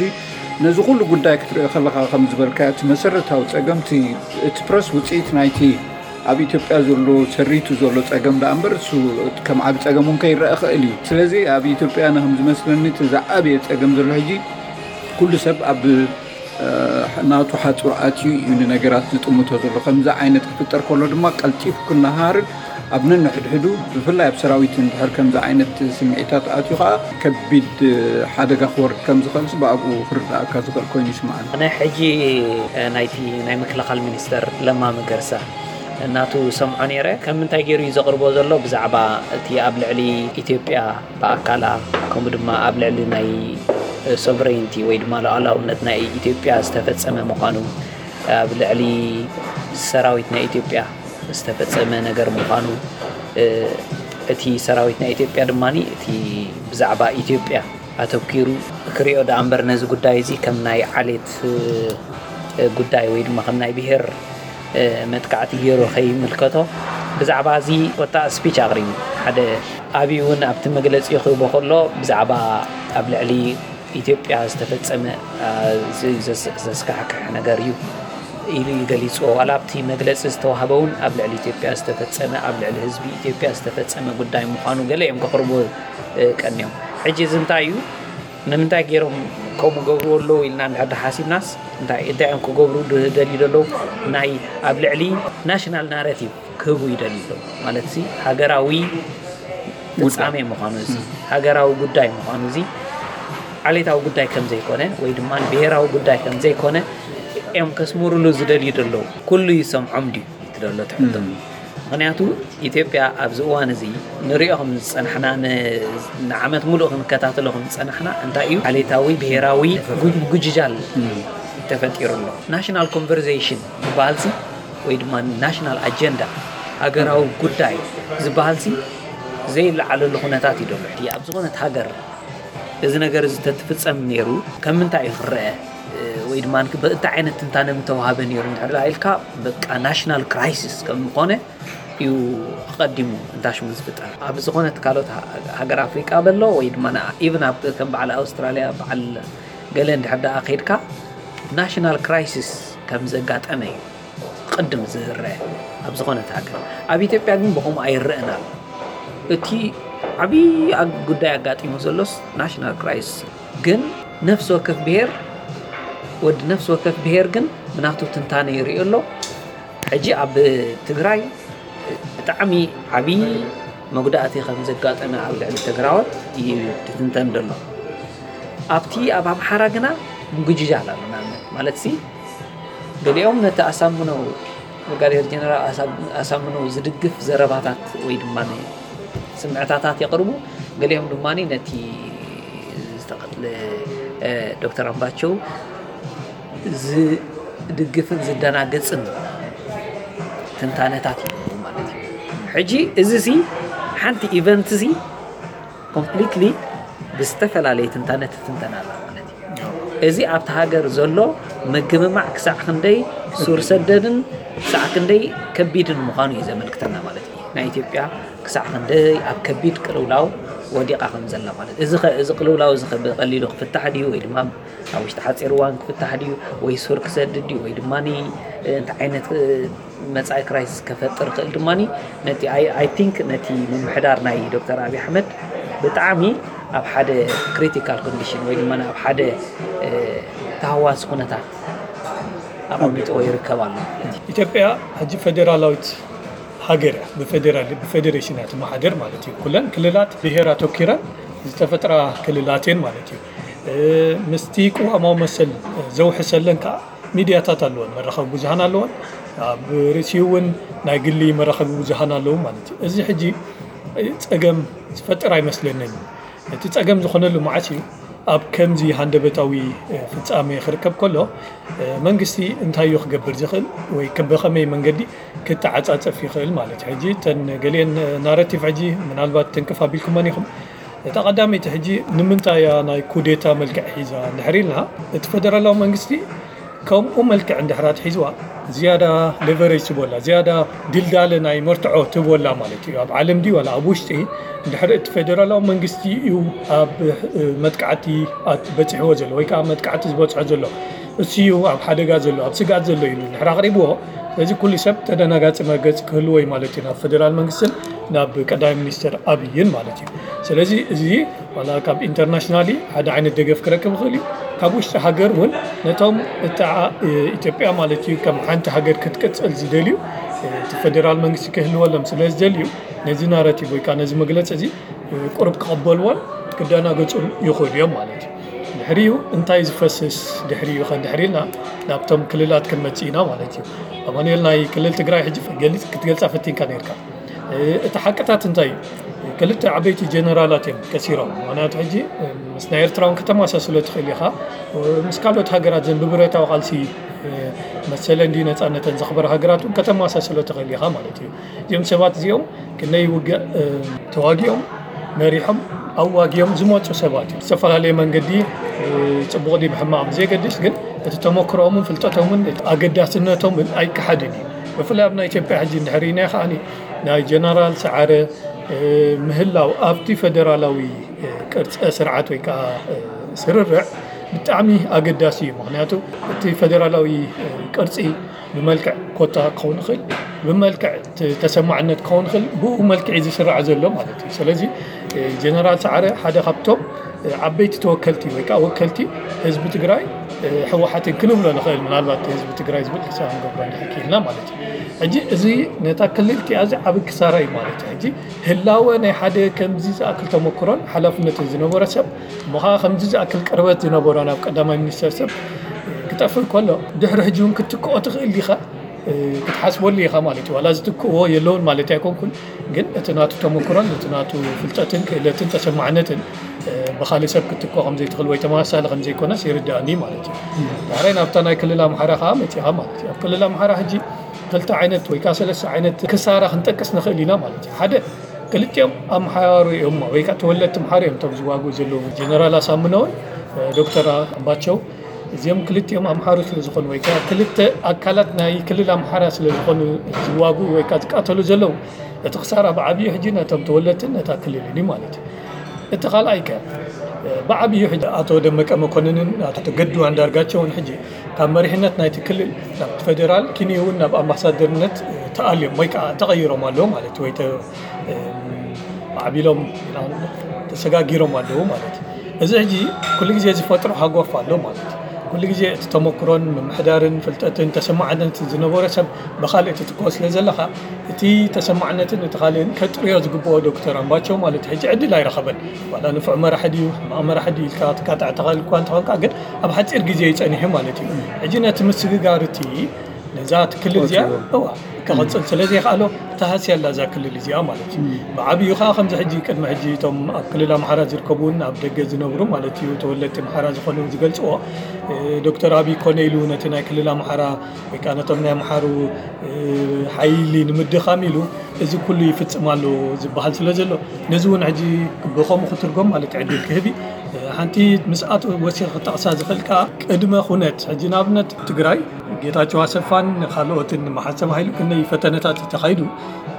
ነዚ ኩሉ ጉዳይ ክትርኢ ከለኻ ከም ዝበልካዮ እቲ መሰረታዊ ፀገም እቲ ፕረስ ውፅኢት ናይቲ ኣብ ኢትዮጵያ ዘሎ ሰሪቱ ዘሎ ፀገም ደኣ እምበር እሱ ከም ዓቢ ፀገም እውን ከይረአ ክእል እዩ። ስለዚ ኣብ ኢትዮጵያ ንከም ዝመስለኒ እቲ ዝዓበየ ፀገም ዘሎ ሕጂ ኩሉ ሰብ ኣብ ናቱ ሓፁር ኣትዩ እዩ ንነገራት ዝጥምቶ ዘሎ። ከምዚ ዓይነት ክፍጠር ከሎ ድማ ቀልጢፉ ክነሃሃርን ኣብ ነንሕድሕዱ ብፍላይ ኣብ ሰራዊት እንድሕር ከምዚ ዓይነት ስምዒታት ኣትዩ ከዓ ከቢድ ሓደጋ ክወርድ ከም ዝኽእልሲ ብኣብኡ ክርዳእካ ዝኽእል ኮይኑ ይስምዓኒ። ኣነ ሕጂ ናይቲ ናይ ምክልኻል ሚኒስተር ለማ መገርሳ እናቱ ሰምዖ ነይረ። ከም ምንታይ ገይሩ እዩ ዘቕርቦ ዘሎ ብዛዕባ እቲ ኣብ ልዕሊ ኢትዮጵያ ብኣካላ ከምኡ ድማ ኣብ ልዕሊ ናይ ሶቨሬንቲ ወይ ድማ ሉዓላውነት ናይ ኢትዮጵያ ዝተፈጸመ ምዃኑ ኣብ ልዕሊ ሰራዊት ናይ ኢትዮጵያ ዝተፈጸመ ነገር ምዃኑ እቲ ሰራዊት ናይ ኢትዮጵያ ድማ እቲ ብዛዕባ ኢትዮጵያ ኣተኪሩ ክሪኦ ደኣ እምበር ነዚ ጉዳይ እዚ ከም ናይ ዓሌት ጉዳይ ወይ ድማ ከም ናይ ብሄር መጥቃዕቲ ገይሩ ከይምልከቶ ብዛዕባ እዚ ወጣ ስፒች ኣቕሪቡ ሓደ ኣብዩ እውን ኣብቲ መግለፂ ክህቦ ከሎ ብዛዕባ ኣብ ልዕሊ ኢትዮጵያ ዝተፈፀመ ዘስካሕክሕ ነገር እዩ ኢሉ እዩ ገሊፅዎ። ዋላ ኣብቲ መግለፂ ዝተዋህበ እውን ኣብ ልዕሊ ኢትዮጵያ ዝተፈፀመ ኣብ ልዕሊ ህዝቢ ኢትዮጵያ ዝተፈፀመ ጉዳይ ምዃኑ ገለ እዮም ከቕርቡ ቀንዮም። ሕጂ እዚ እንታይ እዩ? ንምንታይ ገይሮም ከምኡ ገብርዎ ኣለዉ ኢልና እንድሕር ሓሲብናስ እንታይ እንታይ እዮም ክገብሩ ዝደልዩ ዘለዉ? ናይ ኣብ ልዕሊ ናሽናል ናረቲቭ ክህቡ ይደልዩ ኣለዉ ማለት ሲ ሃገራዊ ፍጻሜ ምዃኑ እዚ ሃገራዊ ጉዳይ ምዃኑ እዚ ዓሌታዊ ጉዳይ ከም ዘይኮነ ወይ ድማ ብሄራዊ ጉዳይ ከም ዘይኮነ እዮም ከስምሩሉ ዝደልዩ ዘለዉ። ኩሉ ይሰምዖም ድዩ? ዘሎ ትሕቶ። ምኽንያቱ ኢትዮጵያ ኣብዚ እዋን እዚ ንሪኦ ከም ዝጸናሕና፣ ን-፣ ንዓመት ሙሉእ ክንከታተሎ ከም ዝጸናሕና፣ እንታይ እዩ ዓሌታዊ ብሔራዊ ጉ-፣ ጉጅጃል ተፈጢሩ ኣሎ። ናሽናል ኮንቨርሴሽን ዝበሃልሲ ወይ ድማ ናሽናል ኣጀንዳ፣ ሃገራዊ ጉዳይ ዝበሃልሲ ዘይለዓለሉ ኩነታት እዩ ዘሎ። ኣብ ዝኾነት ሃገር እዚ ነገር እዚ ተትፍጸም ነይሩ፣ ከም ምንታይ እዩ ክረአ? ወይ ድማ እንታይ ዓይነት ትንታነ ምተዋህበ ነይሩ እንድሕር ደኣ ኢልካ፣ በቃ ናሽናል ክራይሲስ ከም ዝኾነ እዩ ኣቐዲሙ እንታሽሙ ዝፍጠር። ኣብ ዝኾነት ካልኦት ሃ-፣ ሃገር ኣፍሪቃ በሎ ወይ ድማ ኢቭን ኣብ ከም በዓል ኣውስትራልያ፣ በዓል ገለ እንድሕር ደኣ ከይድካ፣ ናሽናል ክራይሲስ ከም ዘጋጠመ እዩ ቅድም ዝረአ ኣብ ዝኾነት ሃገር። ኣብ ኢትዮጵያ ግን ብኸምኡ ኣይረኣን ኣሎ። እቲ ዓብዪ ኣግ-፣ ጉዳይ ኣጋጢሙ ዘሎስ ናሽናል ክራይሲስ እዩ። ግን ነፍሲ ወከፍ ብሄር፣ ወዲ ነፍሲ ወከፍ ብሄር ግን ብናቱ ትንታነ ይርእዮ ኣሎ። ሕጂ ኣብ ትግራይ ብጣዕሚ ዓብዪ መጉዳእቲ ከም ዘጋጠመ ኣብ ልዕሊ ትግራዎት እዩ ዝትንተን ዘሎ። ኣብቲ ኣብ ኣምሓራ ግና ምጉጅጃል ኣሎ። ንኣብነት ማለትሲ፣ ገሊኦም ነቲ ኣሳምነው፣ ብርጋዴር ጀነራል ኣሳ-፣ ኣሳምነው ዝድግፍ ዘረባታት ወይ ድማ ስምዕታታት የቕርቡ፣ ገሊኦም ድማ ነቲ ዝተቐትለ፣ እ፣ ዶክተር ኣምባቸው ዝድግፍን ዝደናግጽን ትንታነታት ይህቡ ማለት እዩ። ሕጂ እዚ ሲ ሓንቲ ኢቨንት ሲ ኮምፕሊትሊ ብዝተፈላለየ ትንታነ ትትንተን ኣላ ማለት እዩ። እዚ ኣብቲ ሃገር ዘሎ ምግምማዕ ክሳዕ ክንደይ ሱር ሰደድን ክሳዕ ክንደይ ከቢድን ምዃኑ እዩ ዘመልክተና ማለት እዩ። ናይ ኢትዮጵያ ክሳዕ ክንደይ ኣብ ከቢድ ቅልውላው ወዲቓ ከም ዘላ ማለት እዩ። እዚ ኸ፣ እዚ ቅልውላው እዚ ኸ ብቐሊሉ ክፍታሕ ድዩ ወይ ድማ ኣብ ውሽጢ ሓፂር እዋን ክፍታሕ ድዩ ወይ ሱር ክሰድድ ድዩ ወይ ድማ እንታይ ዓይነት፣ እ፣ መጻኢ ክራይሲስ ከፈጥር ይኽእል ድማ ነቲ፣ ኣይ፣ ኣይ ቲንክ ነቲ ምምሕዳር ናይ ዶክተር ኣብይ ኣሕመድ ብጣዕሚ ኣብ ሓደ ክሪቲካል ኮንዲሽን ወይ ድማ ኣብ ሓደ፣ እ፣ ተሃዋሲ ኩነታት ኣቐሚጥዎ ይርከብ ኣሎ ማለት እዩ። ኢትዮጵያ ሕጂ ፌዴራላዊት ሃገር እያ። ብፌዴራል፣ ብፌዴሬሽን እያ ትመሓደር ማለት እዩ። ኩለን ክልላት ብሄር ኣተኪረን ዝተፈጥራ ክልላት እየን ማለት እዩ። እ፣ ምስቲ ቅዋማዊ መሰል ዘውሕሰለን ከዓ ሚድያታት ኣለወን፣ መራኸቢ ብዙሃን ኣለወን። ኣብ ርእሲኡ እውን ናይ ግሊ መራኸቢ ብዙሃን ኣለዉ ማለት እዩ። እዚ ሕጂ ጸገም ዝፈጥር ኣይመስለንን። እቲ ጸገም ዝኾነሉ መዓስ እዩ? ኣብ ከምዚ ሃንደበታዊ፣ እ፣ ፍጻሜ ክርከብ ከሎ፣ እ፣ መንግስቲ እንታይ እዩ ክገብር ዝኽእል ወይ ከ-፣ ብኸመይ መንገዲ ክተዓጻጸፍ ይኽእል ማለት እዩ? ሕጂ እተን ገሊአን ናረቲቭ ሕጂ ምናልባት ትንክፍ ኣቢልኩመን ኢኹም። እታ ቀዳመይቲ ሕጂ ንምንታይ እያ ናይ ኩዴታ መልክዕ ሒዛ እንድሕር ኢልና፣ እቲ ፌደራላዊ መንግስቲ ከምኡ መልክዕ እንድሕር ኣትሒዝዋ ዝያዳ ሌቨሬጅ ትቦላ፣ ዝያዳ ድልዳለ ናይ መርትዖ ትቦላ ማለት እዩ። ኣብ ዓለም ድዩ ዋላ ኣብ ውሽጢ እንድሕር እቲ ፌደራላዊ መንግስቲ እዩ ኣብ፣ እ፣ መጥቃዕቲ ኣት-፣ በፂሕዎ ዘሎ ወይ ከዓ መጥቃዕቲ ዝበፅሖ ዘሎ፣ እሱ እዩ ኣብ ሓደጋ ዘሎ፣ ኣብ ስግኣት ዘሎ ኢሉ እንድሕር ኣቕሪብዎ፣ ስለዚ ኩሉ ሰብ ተደናጋፂ መርገፂ ክህልዎ እዩ ማለት እዩ፣ ናብ ፌደራል መንግስትን ናብ ቀዳማይ ሚኒስትር ኣብይን ማለት እዩ። ስለዚ እዚ ዋላ ካብ ኢንተርናሽናሊ ሓደ ዓይነት ደገፍ ክረክብ ይኽእል እዩ። ካብ ውሽጢ ሃገር እውን ነቶም እታ፣ እ፣ ኢትዮጵያ ማለት እዩ ከም ሓንቲ ሃገር ክትቅጽል ዝደልዩ፣ እ፣ እቲ ፌደራል መንግስቲ ክህልወሎም ስለ ዝደልዩ ነዚ ናራቲቭ ወይ ከዓ ነዚ መግለፂ እዚ፣ እ፣ ቁሩብ ክቕበልዎን ክደናገጹን ይኽእሉ እዮም ማለት እዩ። ድሕሪኡ እንታይ ዝፈስስ ድሕሪኡ ከ እንድሕር ኢልና ናብቶም ክልላት ክንመጽእ ኢና ማለት እዩ። ኣማኑኤል፣ ናይ ክልል ትግራይ ሕጂ ገሊጽ-፣ ክትገልጻ ፈቲንካ ነርካ። እ፣ እቲ ሓቅታት እንታይ እዩ? ክልተ ዓበይቲ ጀነራላት እዮም ከሲሮም። ምኽንያቱ ሕጂ፣ እ፣ ምስ ናይ ኤርትራ እውን ከተመሳስሎ ትኽእል ኢኻ። እ፣ ምስ ካልኦት ሃገራት ዘን ብብረታዊ ቃልሲ፣ እ፣ መሰለን ድዩ ነጻነተን ዘኽበራ ሃገራት እውን ከተመሳስሎ ትኽእል ኢኻ ማለት እዩ። እዚኦም ሰባት እዚኦም ክንደይ ውግእ፣ እ፣ ተዋጊኦም፣ መሪሖም፣ ኣዋጊኦም ዝመጹ ሰባት እዮም። ዝተፈላለየ መንገዲ፣ እ፣ ጽቡቕ ድዩ ብሕማቕ ብዘየገድስ ግን እቲ ተመክሮኦምን ፍልጠቶምን ኣገዳስነቶምን ኣይከሓድን እዩ። ብፍላይ ኣብ ናይ ኢትዮጵያ ሕጂ እንድሕር ርኢናዮ ከኣ ናይ ጀነራል ሰዓረ፣ እ፣ ምህላው ኣብቲ ፈደራላዊ፣ እ፣ ቅርጸ ስርዓት ወይ ከኣ፣ እ፣ ስርርዕ ብጣዕሚ ኣገዳሲ እዩ። ምኽንያቱ እቲ ፈደራላዊ፣ እ፣ ቅርጺ ብመልክዕ ኮታ ክኸውን ይኽእል፣ ብመልክዕ ተ-፣ ተሰማዕነት ክኸውን ይኽእል፣ ብኡ መልክዕ እዩ ዝስራዕ ዘሎ ማለት እዩ። ስለዚ፣ እ፣ ጀነራል ሰዓረ ሓደ ካብቶም፣ እ፣ ዓበይቲ ተወከልቲ ወይ ከዓ ወከልቲ ህዝቢ ትግራይ፣ እ፣ ህወሓትን ክንብሎ ንኽእል፣ ምናልባት ህዝቢ ትግራይ ዝብል ክሳብ ንገብሮ እንድሕር ክኢልና ማለት እዩ። ሕጂ እዚ ነታ ክልል እቲኣ እዚ ዓቢ ክሳራ እዩ ማለት እዩ። ሕጂ ህላወ ናይ ሓደ ከምዚ ዝኣክል ተመክሮን ሓላፍነትን ዝነበሮ ሰብ፣ እሞ ኸዓ ከምዚ ዝኣክል ቅርበት ዝነበሮ ናብ ቀዳማይ ሚኒስተር ሰብ ክጠፍእ ከሎ፣ ድሕሪ ሕጂ እውን ክትክኦ ትኽእል ዲኻ? ክትሓስበሉ ኢኻ ማለት እዩ። ዋላ ዝትክእዎ የለውን ማለት ኣይኮንኩን፣ ግን እቲ ናቱ ተመክሮን እቲ ናቱ ፍልጠትን ክእለትን ተሰማዕነትን ብኻሊእ ሰብ ክትትኮ ከም ዘይትኽእል ወይ ተመሳሳሊ ከም ዘይኮነስ ይርዳእኒ ማለት እዩ። ዳሕራይ ናብታ ናይ ክልል ኣምሓራ ከዓ መፂኻ ማለት እዩ። ኣብ ክልል ኣምሓራ ሕጂ ክልተ ዓይነት ወይ ከዓ ሰለስተ ዓይነት ክሳራ ክንጠቅስ ንኽእል ኢና ማለት እዩ። ሓደ፣ ክልቲኦም ኣምሓሩ እዮም ወይ ከዓ ተወለድቲ ኣምሓሩ እዮም እቶም ዝዋግኡ ዘለዉ። ጀነራል ኣሳምነውን ዶክተር ኣምባቸው እዚኦም ክልቲኦም ኣምሓሩ ስለ ዝኾኑ ወይ ከዓ ክልተ ኣካላት ናይ ክልል ኣምሓራ ስለ ዝኾኑ ዝዋግኡ ወይ ከዓ ዝቃተሉ ዘለዉ፣ እቲ ክሳራ ብዓብዩ ሕጂ ነቶም ተወለድትን ነታ ክልልን እዩ ማለት እዩ። እቲ ካልኣይ ከ ብዓብዩ ሕጂ ኣቶ ደመቀ መኮንንን ኣቶ ገዱ ኣንዳርጋቸውን ሕጂ ካብ መሪሕነት ናይቲ ክልል ናብ ፌደራል ኪንዩ እውን ናብ ኣምባሳደርነት ተኣልዮም ወይ ከዓ ተቐይሮም ኣለዉ ማለት ወይ ዓቢሎም ተሰጋጊሮም ኣለዉ ማለት እዩ። እዚ ሕጂ ኩሉ ግዜ ዝፈጥሮ ሃጎፍ ኣሎ ማለት እዩ። ኩሉ ግዜ እቲ ተመክሮን ምምሕዳርን ፍልጠትን ተሰማዕነትን ዝነበረ ሰብ ብካልእ ትትኮ ስለ ዘለካ እቲ ተሰማዕነትን እቲ ካልእን ከጥርዮ ዝግብኦ ዶክተር ኣምባቸው ማለት ሕጂ ዕድል ኣይረኸበን። ዋላ ንፉዕ መራሒ ድዩ ሕማቕ መራሒ ድዩ ኢልካ ትካታዕ ተኻእል እኳ እንተኾንካ ግን ኣብ ሓፂር ግዜ ይፀኒሑ ማለት እዩ። ሕጂ ነቲ ምስግጋር እቲ ነዛ እቲ ክልል እዚኣ እዋ ክቐፅል ስለ ዘይከኣሎ ተሃስያ ኣላ እዛ ክልል እዚኣ ማለት እዩ። ብዓብዩ ከዓ ከምዚ ሕጂ ቅድሚ ሕጂ እቶም ኣብ ክልል ኣምሓራ ዝርከቡ እውን ኣብ ደገ ዝነብሩ ማለት እዩ ተወለድቲ ኣምሓራ ዝኾኑ ዝገልፅዎ ዶክተር ኣብይ ኮነ ኢሉ ነቲ ናይ ክልል ኣምሓራ ወይ ከዓ ነቶም ናይ ኣምሓሩ ሓይሊ ንምድኻም ኢሉ እዚ ኩሉ ይፍፅም ኣሎ ዝበሃል ስለ ዘሎ ነዚ እውን ሕጂ ብኸምኡ ክትርጎም ማለት ዕድል ክህብ ሓንቲ ምስኣት ወሲኽ ክጠቕሳ ዝኽእል ከዓ ቅድመ ኩነት ሕጂ ንኣብነት ትግራይ ጌታቸው ኣሰፋን ካልኦትን መሓሰብ ሃይሉ ክንደይ ፈተነታት ተኻይዱ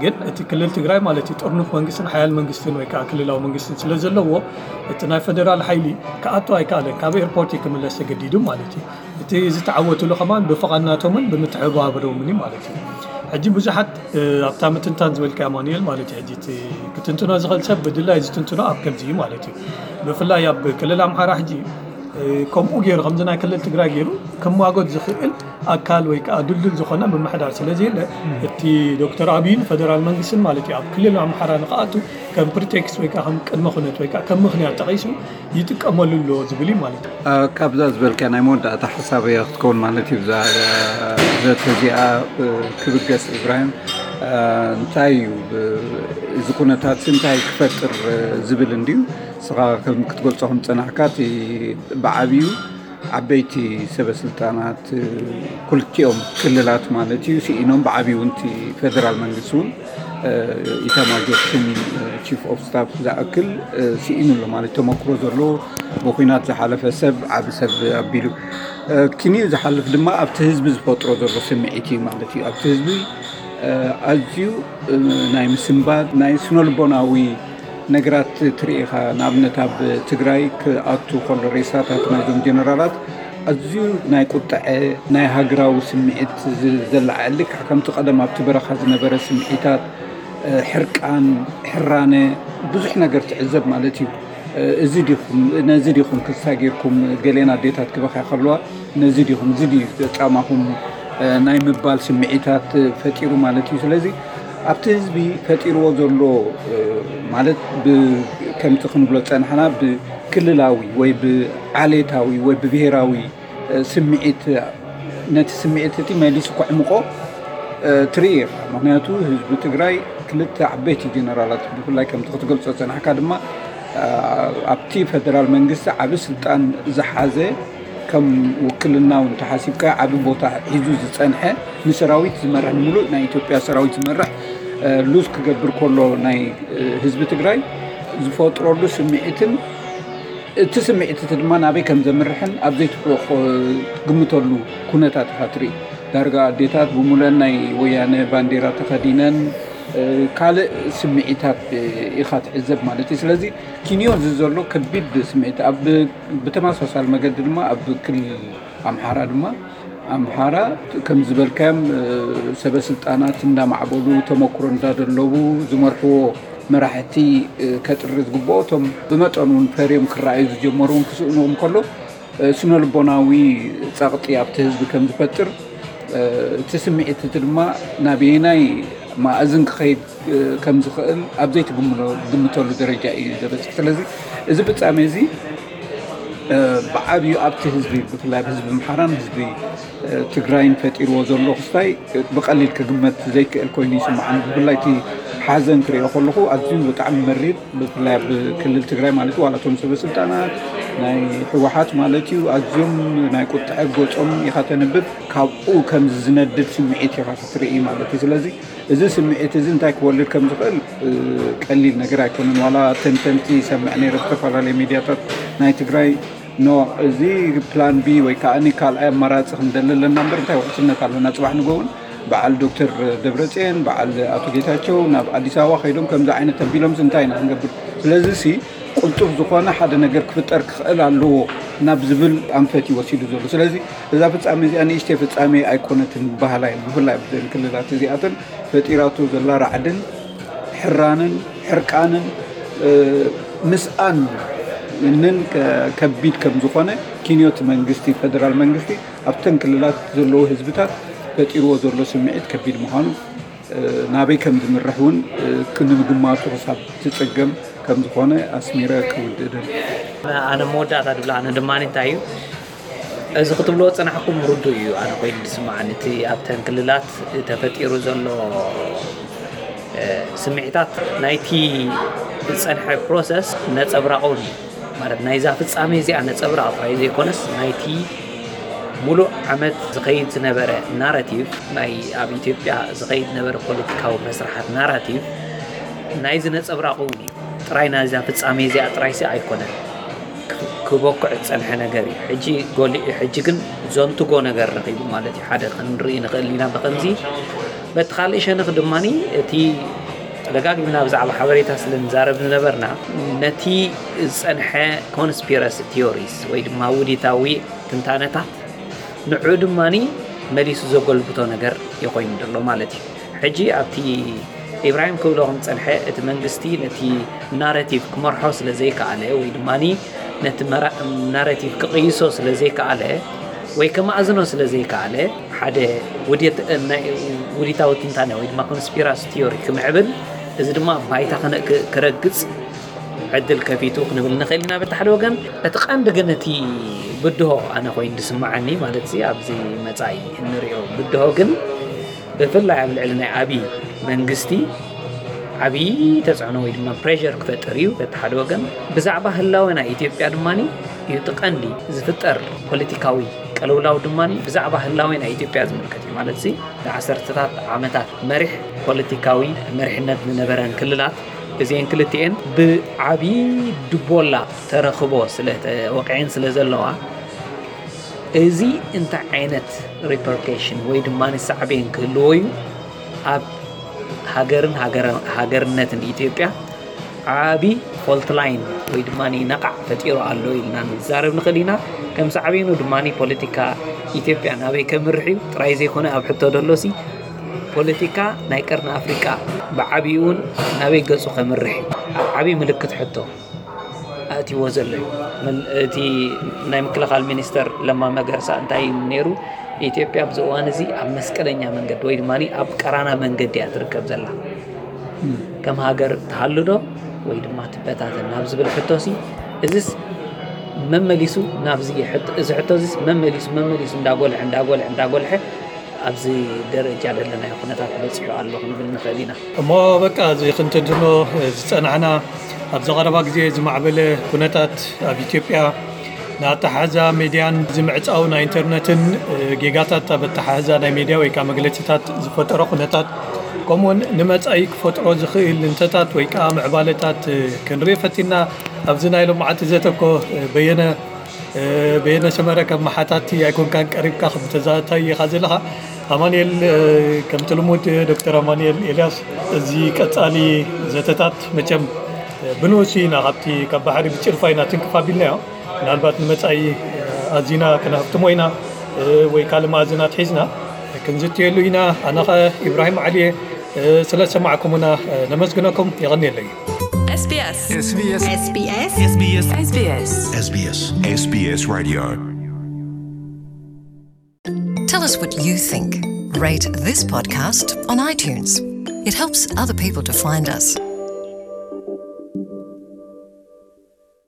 ግን እቲ ክልል ትግራይ ማለት እዩ ጥርኑፍ መንግስትን ሓያል መንግስትን ወይ ከዓ ክልላዊ መንግስትን ስለ ዘለዎ እቲ ናይ ፌደራል ሓይሊ ክኣቱ ኣይከኣለን ካብ ኤርፖርት ክምለስ ተገዲዱ ማለት እዩ። እቲ ዝተዓወትሉ ከማን ብፍቓድ ናቶምን ብምትሕብባሮምን እዩ ማለት እዩ። ሕጂ ብዙሓት ኣብታ ምትንታን ዝበልካ ኣማኑኤል ማለት እዩ ሕጂ ክትንትኖ ዝኽእል ሰብ ብድላይ ዝትንትኖ ኣብ ከምዚ እዩ ማለት እዩ። ብፍላይ ኣብ ክልል ኣምሓራ ሕጂ ከምኡ ገይሩ ከምዚ ናይ ክልል ትግራይ ገይሩ ክማጎት ዝኽእል ኣካል ወይ ከዓ ድልድል ዝኾነ ምምሕዳር ስለ ዘየለ እቲ ዶክተር ኣብይን ፈደራል መንግስትን ማለት እዩ ኣብ ክልል ኣምሓራ ንክኣቱ ከም ፕሪቴክስት ወይ ከዓ ከም ቅድመ ኩነት ወይ ከዓ ከም ምክንያት ጠቒሱ ይጥቀመሉ ኣሎ ዝብል እዩ ማለት እዩ። ካብዛ ዝበልካ ናይ መወዳእታ ሓሳብ እያ ክትከውን ማለት እዩ። እዛ ዘተ እዚኣ ክብገስ ኢብራሂም እንታይ እዩ እዚ ኩነታት እንታይ ክፈጥር ዝብል እንድዩ። ስኻ ከም ክትገልጾ ከም ጸናሕካ እቲ ብዓብዩ ዓበይቲ ሰበ ስልጣናት ክልቲኦም ክልላት ማለት እዩ ስኢኖም ብዓብዩ እውን እቲ ፌደራል መንግስቲ እውን ኢታማጆር ሹም ቺፍ ኦፍ ስታፍ ዝኣክል ስኢኑ ኣሎ ማለት ተመክሮ ዘሎ ብኩናት ዝሓለፈ ሰብ ዓቢ ሰብ ኣቢሉ ኪንኡ ዝሓልፍ ድማ ኣብቲ ህዝቢ ዝፈጥሮ ዘሎ ስምዒት እዩ ማለት እዩ ኣብቲ ህዝቢ ኣዝዩ ናይ ምስንባት ናይ ስነልቦናዊ ነገራት ትርኢ ኢኻ ንኣብነት ኣብ ትግራይ ክኣቱ ከሎ ሬሳታት ናይዞም ጀነራላት ኣዝዩ ናይ ቁጥዐ ናይ ሃገራዊ ስምዒት ዘለዓዕል ልክዕ ከምቲ ቀደም ኣብቲ በረኻ ዝነበረ ስምዒታት ሕርቃን ሕራነ ብዙሕ ነገር ትዕዘብ ማለት እዩ። እዚ ዲኹም ነዚ ዲኹም ክሳ ጌርኩም ገሌን ኣዴታት ክበኽያ ከለዋ ነዚ ዲኹም እዚ ድዩ ጫማኹም ናይ ምባል ስምዒታት ፈጢሩ ማለት እዩ። ስለዚ ኣብቲ ህዝቢ ፈጢርዎ ዘሎ ማለት ከምቲ ክንብሎ ዝፀናሕና ብክልላዊ ወይ ብዓሌታዊ ወይ ብብሄራዊ ስምዒት ነቲ ስምዒት እቲ መሊሱ ከዕምቆ ትርኢ ኢኻ። ምክንያቱ ህዝቢ ትግራይ ክልተ ዓበይቲ ጀነራላት ብፍላይ ከምቲ ክትገልፆ ዝፀናሕካ ድማ ኣብቲ ፈደራል መንግስቲ ዓቢ ስልጣን ዝሓዘ ከም ውክልና እውን ተሓሲብካ ዓቢ ቦታ ሒዙ ዝፀንሐ ንሰራዊት ዝመርሕ ንምሉእ ናይ ኢትዮጵያ ሰራዊት ዝመርሕ ሉዝ ክገብር ከሎ ናይ ህዝቢ ትግራይ ዝፈጥረሉ ስምዒትን እቲ ስምዒት እቲ ድማ ናበይ ከም ዘምርሕን ኣብ ዘይትግምተሉ ኩነታት ኢኻ ትርኢ። ዳርጋ ኣዴታት ብሙለን ናይ ወያነ ባንዴራ ተኸዲነን ካልእ ስምዒታት ኢኻ ትዕዘብ ማለት እዩ። ስለዚ ኪንዮ እዚ ዘሎ ከቢድ ስምዒት ኣብ ብተመሳሳሊ መገዲ ድማ ኣብ ክልል ኣምሓራ ድማ ኣምሓራ ከም ዝበልካዮም ሰበ ስልጣናት እንዳማዕበሉ ተመክሮ እንዳደለቡ ዝመርሕዎ መራሕቲ ከጥሪ ዝግብኦ እቶም ብመጠኑ እውን ፈርዮም ክረኣዩ ዝጀመሩ እውን ክስእንዎም ከሎ ስነልቦናዊ ጸቕጢ ኣብቲ ህዝቢ ከም ዝፈጥር እቲ ስምዒት እቲ ድማ ናበየናይ ማእዝን ክኸይድ ከም ዝኽእል ኣብ ዘይትግምተሉ ደረጃ እዩ ዘበፅሕ። ስለዚ እዚ ፍጻሜ እዚ ብዓብዩ ኣብቲ ህዝቢ፣ ብፍላይ ኣብ ህዝቢ ኣምሓራን ህዝቢ ትግራይን ፈጢርዎ ዘሎ ክስታይ ብቐሊል ክግመት ዘይክእል ኮይኑ ይስምዓኒ። ብፍላይ እቲ ሓዘን ክሪኦ ከለኹ ኣዝዩ ብጣዕሚ መሪር፣ ብፍላይ ኣብ ክልል ትግራይ ማለት እዩ። ዋላ እቶም ሰበ ስልጣናት ናይ ህወሓት ማለት እዩ ኣዝዮም ናይ ቁጥዐ ገጾም ኢኻ ተንብብ። ካብኡ ከምዚ ዝነድድ ስምዒት ኢኻ ክትርኢ ማለት እዩ። ስለዚ እዚ ስምዒት እዚ እንታይ ክወልድ ከም ዝኽእል ቀሊል ነገር ኣይኮነን። ዋላ ተንተንቲ ይሰምዕ ነይረ፣ ዝተፈላለዩ ሚድያታት ናይ ትግራይ፣ ኖ፣ እዚ ፕላን ቢ ወይ ከዓ ካልኣይ ኣማራፂ ክንደሊ ኣለና እምበር እንታይ ውሕስነት ኣለና? ፅባሕ ንጎውን በዓል ዶክተር ደብረፅዮን፣ በዓል ኣቶ ጌታቸው ናብ ኣዲስ ኣበባ ከይዶም ከምዚ ዓይነት ተቢሎምስ እንታይ ኢና ክንገብር? ስለዚ ሲ ቅልጡፍ ዝኾነ ሓደ ነገር ክፍጠር ክኽእል ኣለዎ ናብ ዝብል ኣንፈት እዩ ወሲዱ ዘሎ። ስለዚ እዛ ፍጻሜ እዚኣ ንእሽተይ ፍጻሜ ኣይኮነትን በሃላይ፣ ብፍላይ ኣብዘን ክልላት እዚኣተን ፈጢራቶ ዘላ ራዕድን ሕራንን ሕርቃንን ምስኣን ንን ከቢድ ከም ዝኾነ ኪንዮቲ መንግስቲ፣ ፌደራል መንግስቲ ኣብተን ክልላት ዘለዉ ህዝብታት ፈጢርዎ ዘሎ ስምዒት ከቢድ ምዃኑ ናበይ ከም ዝምርሕ እውን ክንምግማቱ ክሳብ ትፅገም ከም ዝኾነ ኣስሚረ ክውድእ ደል ኣነ መወዳእታ ድብላ ኣነ ድማ እንታይ እዩ እዚ ክትብልዎ ዝጸናሕኩም ርዱእ እዩ። ኣነ ኮይኑ ዝስምዓኒ እቲ ኣብተን ክልላት ተፈጢሩ ዘሎ ስምዒታት ናይቲ ዝጸንሐ ፕሮሰስ ነጸብራቕ እውን እዩ። ማለት ናይዛ ፍጻሜ እዚኣ ነጸብራቕ ጥራይ ዘይኮነስ ናይቲ ሙሉእ ዓመት ዝኸይድ ዝነበረ ናራቲቭ ናይ ኣብ ኢትዮጵያ ዝኸይድ ዝነበረ ፖለቲካዊ መስርሓት ናራቲቭ ናይዚ ነጸብራቕ እውን እዩ። ጥራይ ናይዛ ፍጻሜ እዚኣ ጥራይሲ ኣይኮነን። ክበኩዕ ዝጸንሐ ነገር እዩ። ሕጂ ጎሊሑ ሕጂ ግን ዘንትጎ ነገር ረኺቡ ማለት እዩ። ሓደ ክንርኢ ንኽእል ኢና ብኸምዚ። በቲ ካልእ ሸነኽ ድማ እቲ ደጋጊምና ብዛዕባ ሓበሬታ ስለ ንዛረብ ዝነበርና ነቲ ዝጸንሐ ኮንስፒረሲ ቲዮሪስ ወይ ድማ ውዲታዊ ትንታነታት ንዑ ድማ መሊሱ ዘጎልብቶ ነገር ይኮይኑ ዘሎ ማለት እዩ። ሕጂ ኣብቲ ኢብራሂም ክብሎ ከም ዝጸንሐ እቲ መንግስቲ ነቲ ናረቲቭ ክመርሖ ስለ ዘይከኣለ ወይ ድማ ነቲ ናረቲቭ ክቕይሶ ስለ ዘይከኣለ ወይ ከማእዝኖ ስለ ዘይከኣለ ሓደ ውዲታዊ ትንታነ ወይ ድማ ኮንስፒራሲ ቲዮሪ ክምዕብል እዚ ድማ ባይታ ክረግጽ ዕድል ከፊቱ ክንብል ንኽእል ኢና በቲ ሓደ ወገን። እቲ ቀንዲ ግን እቲ ብድሆ ኣነ ኮይኑ ዝስምዓኒ ማለት ኣብዚ መጻኢ እንሪኦ ብድሆ ግን ብፍላይ ኣብ ልዕሊ ናይ ኣብይ መንግስቲ ዓብዪ ተፅዕኖ ወይ ድማ ፕሬር ክፈጥር እዩ በቲ ሓደ ወገን። ብዛዕባ ህላወ ናይ ኢትዮጵያ ድማ እዩ እቲ ቀንዲ ዝፍጠር ፖለቲካዊ ቀልውላው ድማ ብዛዕባ ህላወ ናይ ኢትዮጵያ ዝምልከት እዩ ማለት ሲ ንዓሰርተታት ዓመታት መሪሕ ፖለቲካዊ መሪሕነት ዝነበረን ክልላት እዚአን ክልቲኤን ብዓብዪ ድቦላ ተረኽቦ ስለተወቂዐን ስለ ዘለዋ እዚ እንታይ ዓይነት ሪፐርኬሽን ወይ ድማ ሳዕቤን ክህልዎ እዩ ኣብ ሃገርን ሃገርነትን ኢትዮጵያ ዓቢ ፎልት ላይን ወይ ድማ ነቓዕ ፈጢሩ ኣሎ ኢልና ንዛረብ ንኽእል ኢና። ከም ሳዕቤኑ ድማ ፖለቲካ ኢትዮጵያ ናበይ ከምርሕ እዩ ጥራይ ዘይኮነ ኣብ ሕቶ ደሎሲ ፖለቲካ ናይ ቀርኒ ኣፍሪቃ ብዓቢኡ እውን ናበይ ገጹ ከምርሕ እዩ ዓቢ ምልክት ሕቶ ኣእትይዎ ዘሎ እዩ። እቲ ናይ ምክልኻል ሚኒስተር ለማ መገርሳ እንታይ ነይሩ ኢትዮጵያ ኣብዚ እዋን እዚ ኣብ መስቀለኛ መንገዲ ወይ ድማ ኣብ ቀራና መንገዲ እያ ትርከብ ዘላ። ከም ሃገር ትሃሉ ዶ ወይ ድማ ትበታተን ናብ ዝብል ሕቶ ሲ እዚስ መመሊሱ ናብዚ እዚ ሕቶ እዚስ መመሊሱ መመሊሱ እንዳጎልሐ እንዳጎልሐ እንዳጎልሐ ኣብዚ ደረጃ ዘለናዮ ኩነታት በፂሑ ኣሎ ክንብል ንኽእል ኢና። እሞ በቃ እዚ ክንትንትኖ ዝፀናሕና ኣብዚ ቀረባ ግዜ ዝማዕበለ ኩነታት ኣብ ኢትዮጵያ ንኣተሓሕዛ ሜድያን እዚ ምዕፃው ናይ ኢንተርነትን ጌጋታት ኣብ ኣተሓሕዛ ናይ ሜድያ ወይ ከዓ መግለፂታት ዝፈጠሮ ኩነታት ከምኡውን ንመፃኢ ክፈጥሮ ዝኽእል እንተታት ወይ ከዓ ምዕባለታት ክንርኢ ፈቲና ኣብዚ ናይ ሎማዓንቲ ዘተኮ በየነ በየነ ሰመረ ከም መሓታቲ ኣይኮንካን ቀሪብካ ከም ተዛታይ ኢኻ ዘለኻ ኣማንኤል ከምቲ ልሙድ ዶክተር ኣማንኤል ኤልያስ እዚ ቀጻሊ ዘተታት መቸም ብንኡስ ኢና ካብቲ ካብ ባሕሪ ብጭልፋ ኢና ትንክፍ ኣቢልናዮ ምናልባት ንመጻኢ ኣዚና ክነኸፍትሞ ኢና ወይ ካልእ መኣዝናት ሒዝና ክንዝትየሉ ኢና ኣነ ኸ ኢብራሂም ዓሊየ ስለ ዝሰማዕኩምና ነመስግነኩም የቐንየለይ SBS SBS SBS SBS SBS SBS Radio. Tell us what you think. Rate this podcast on iTunes. It helps other people to find us.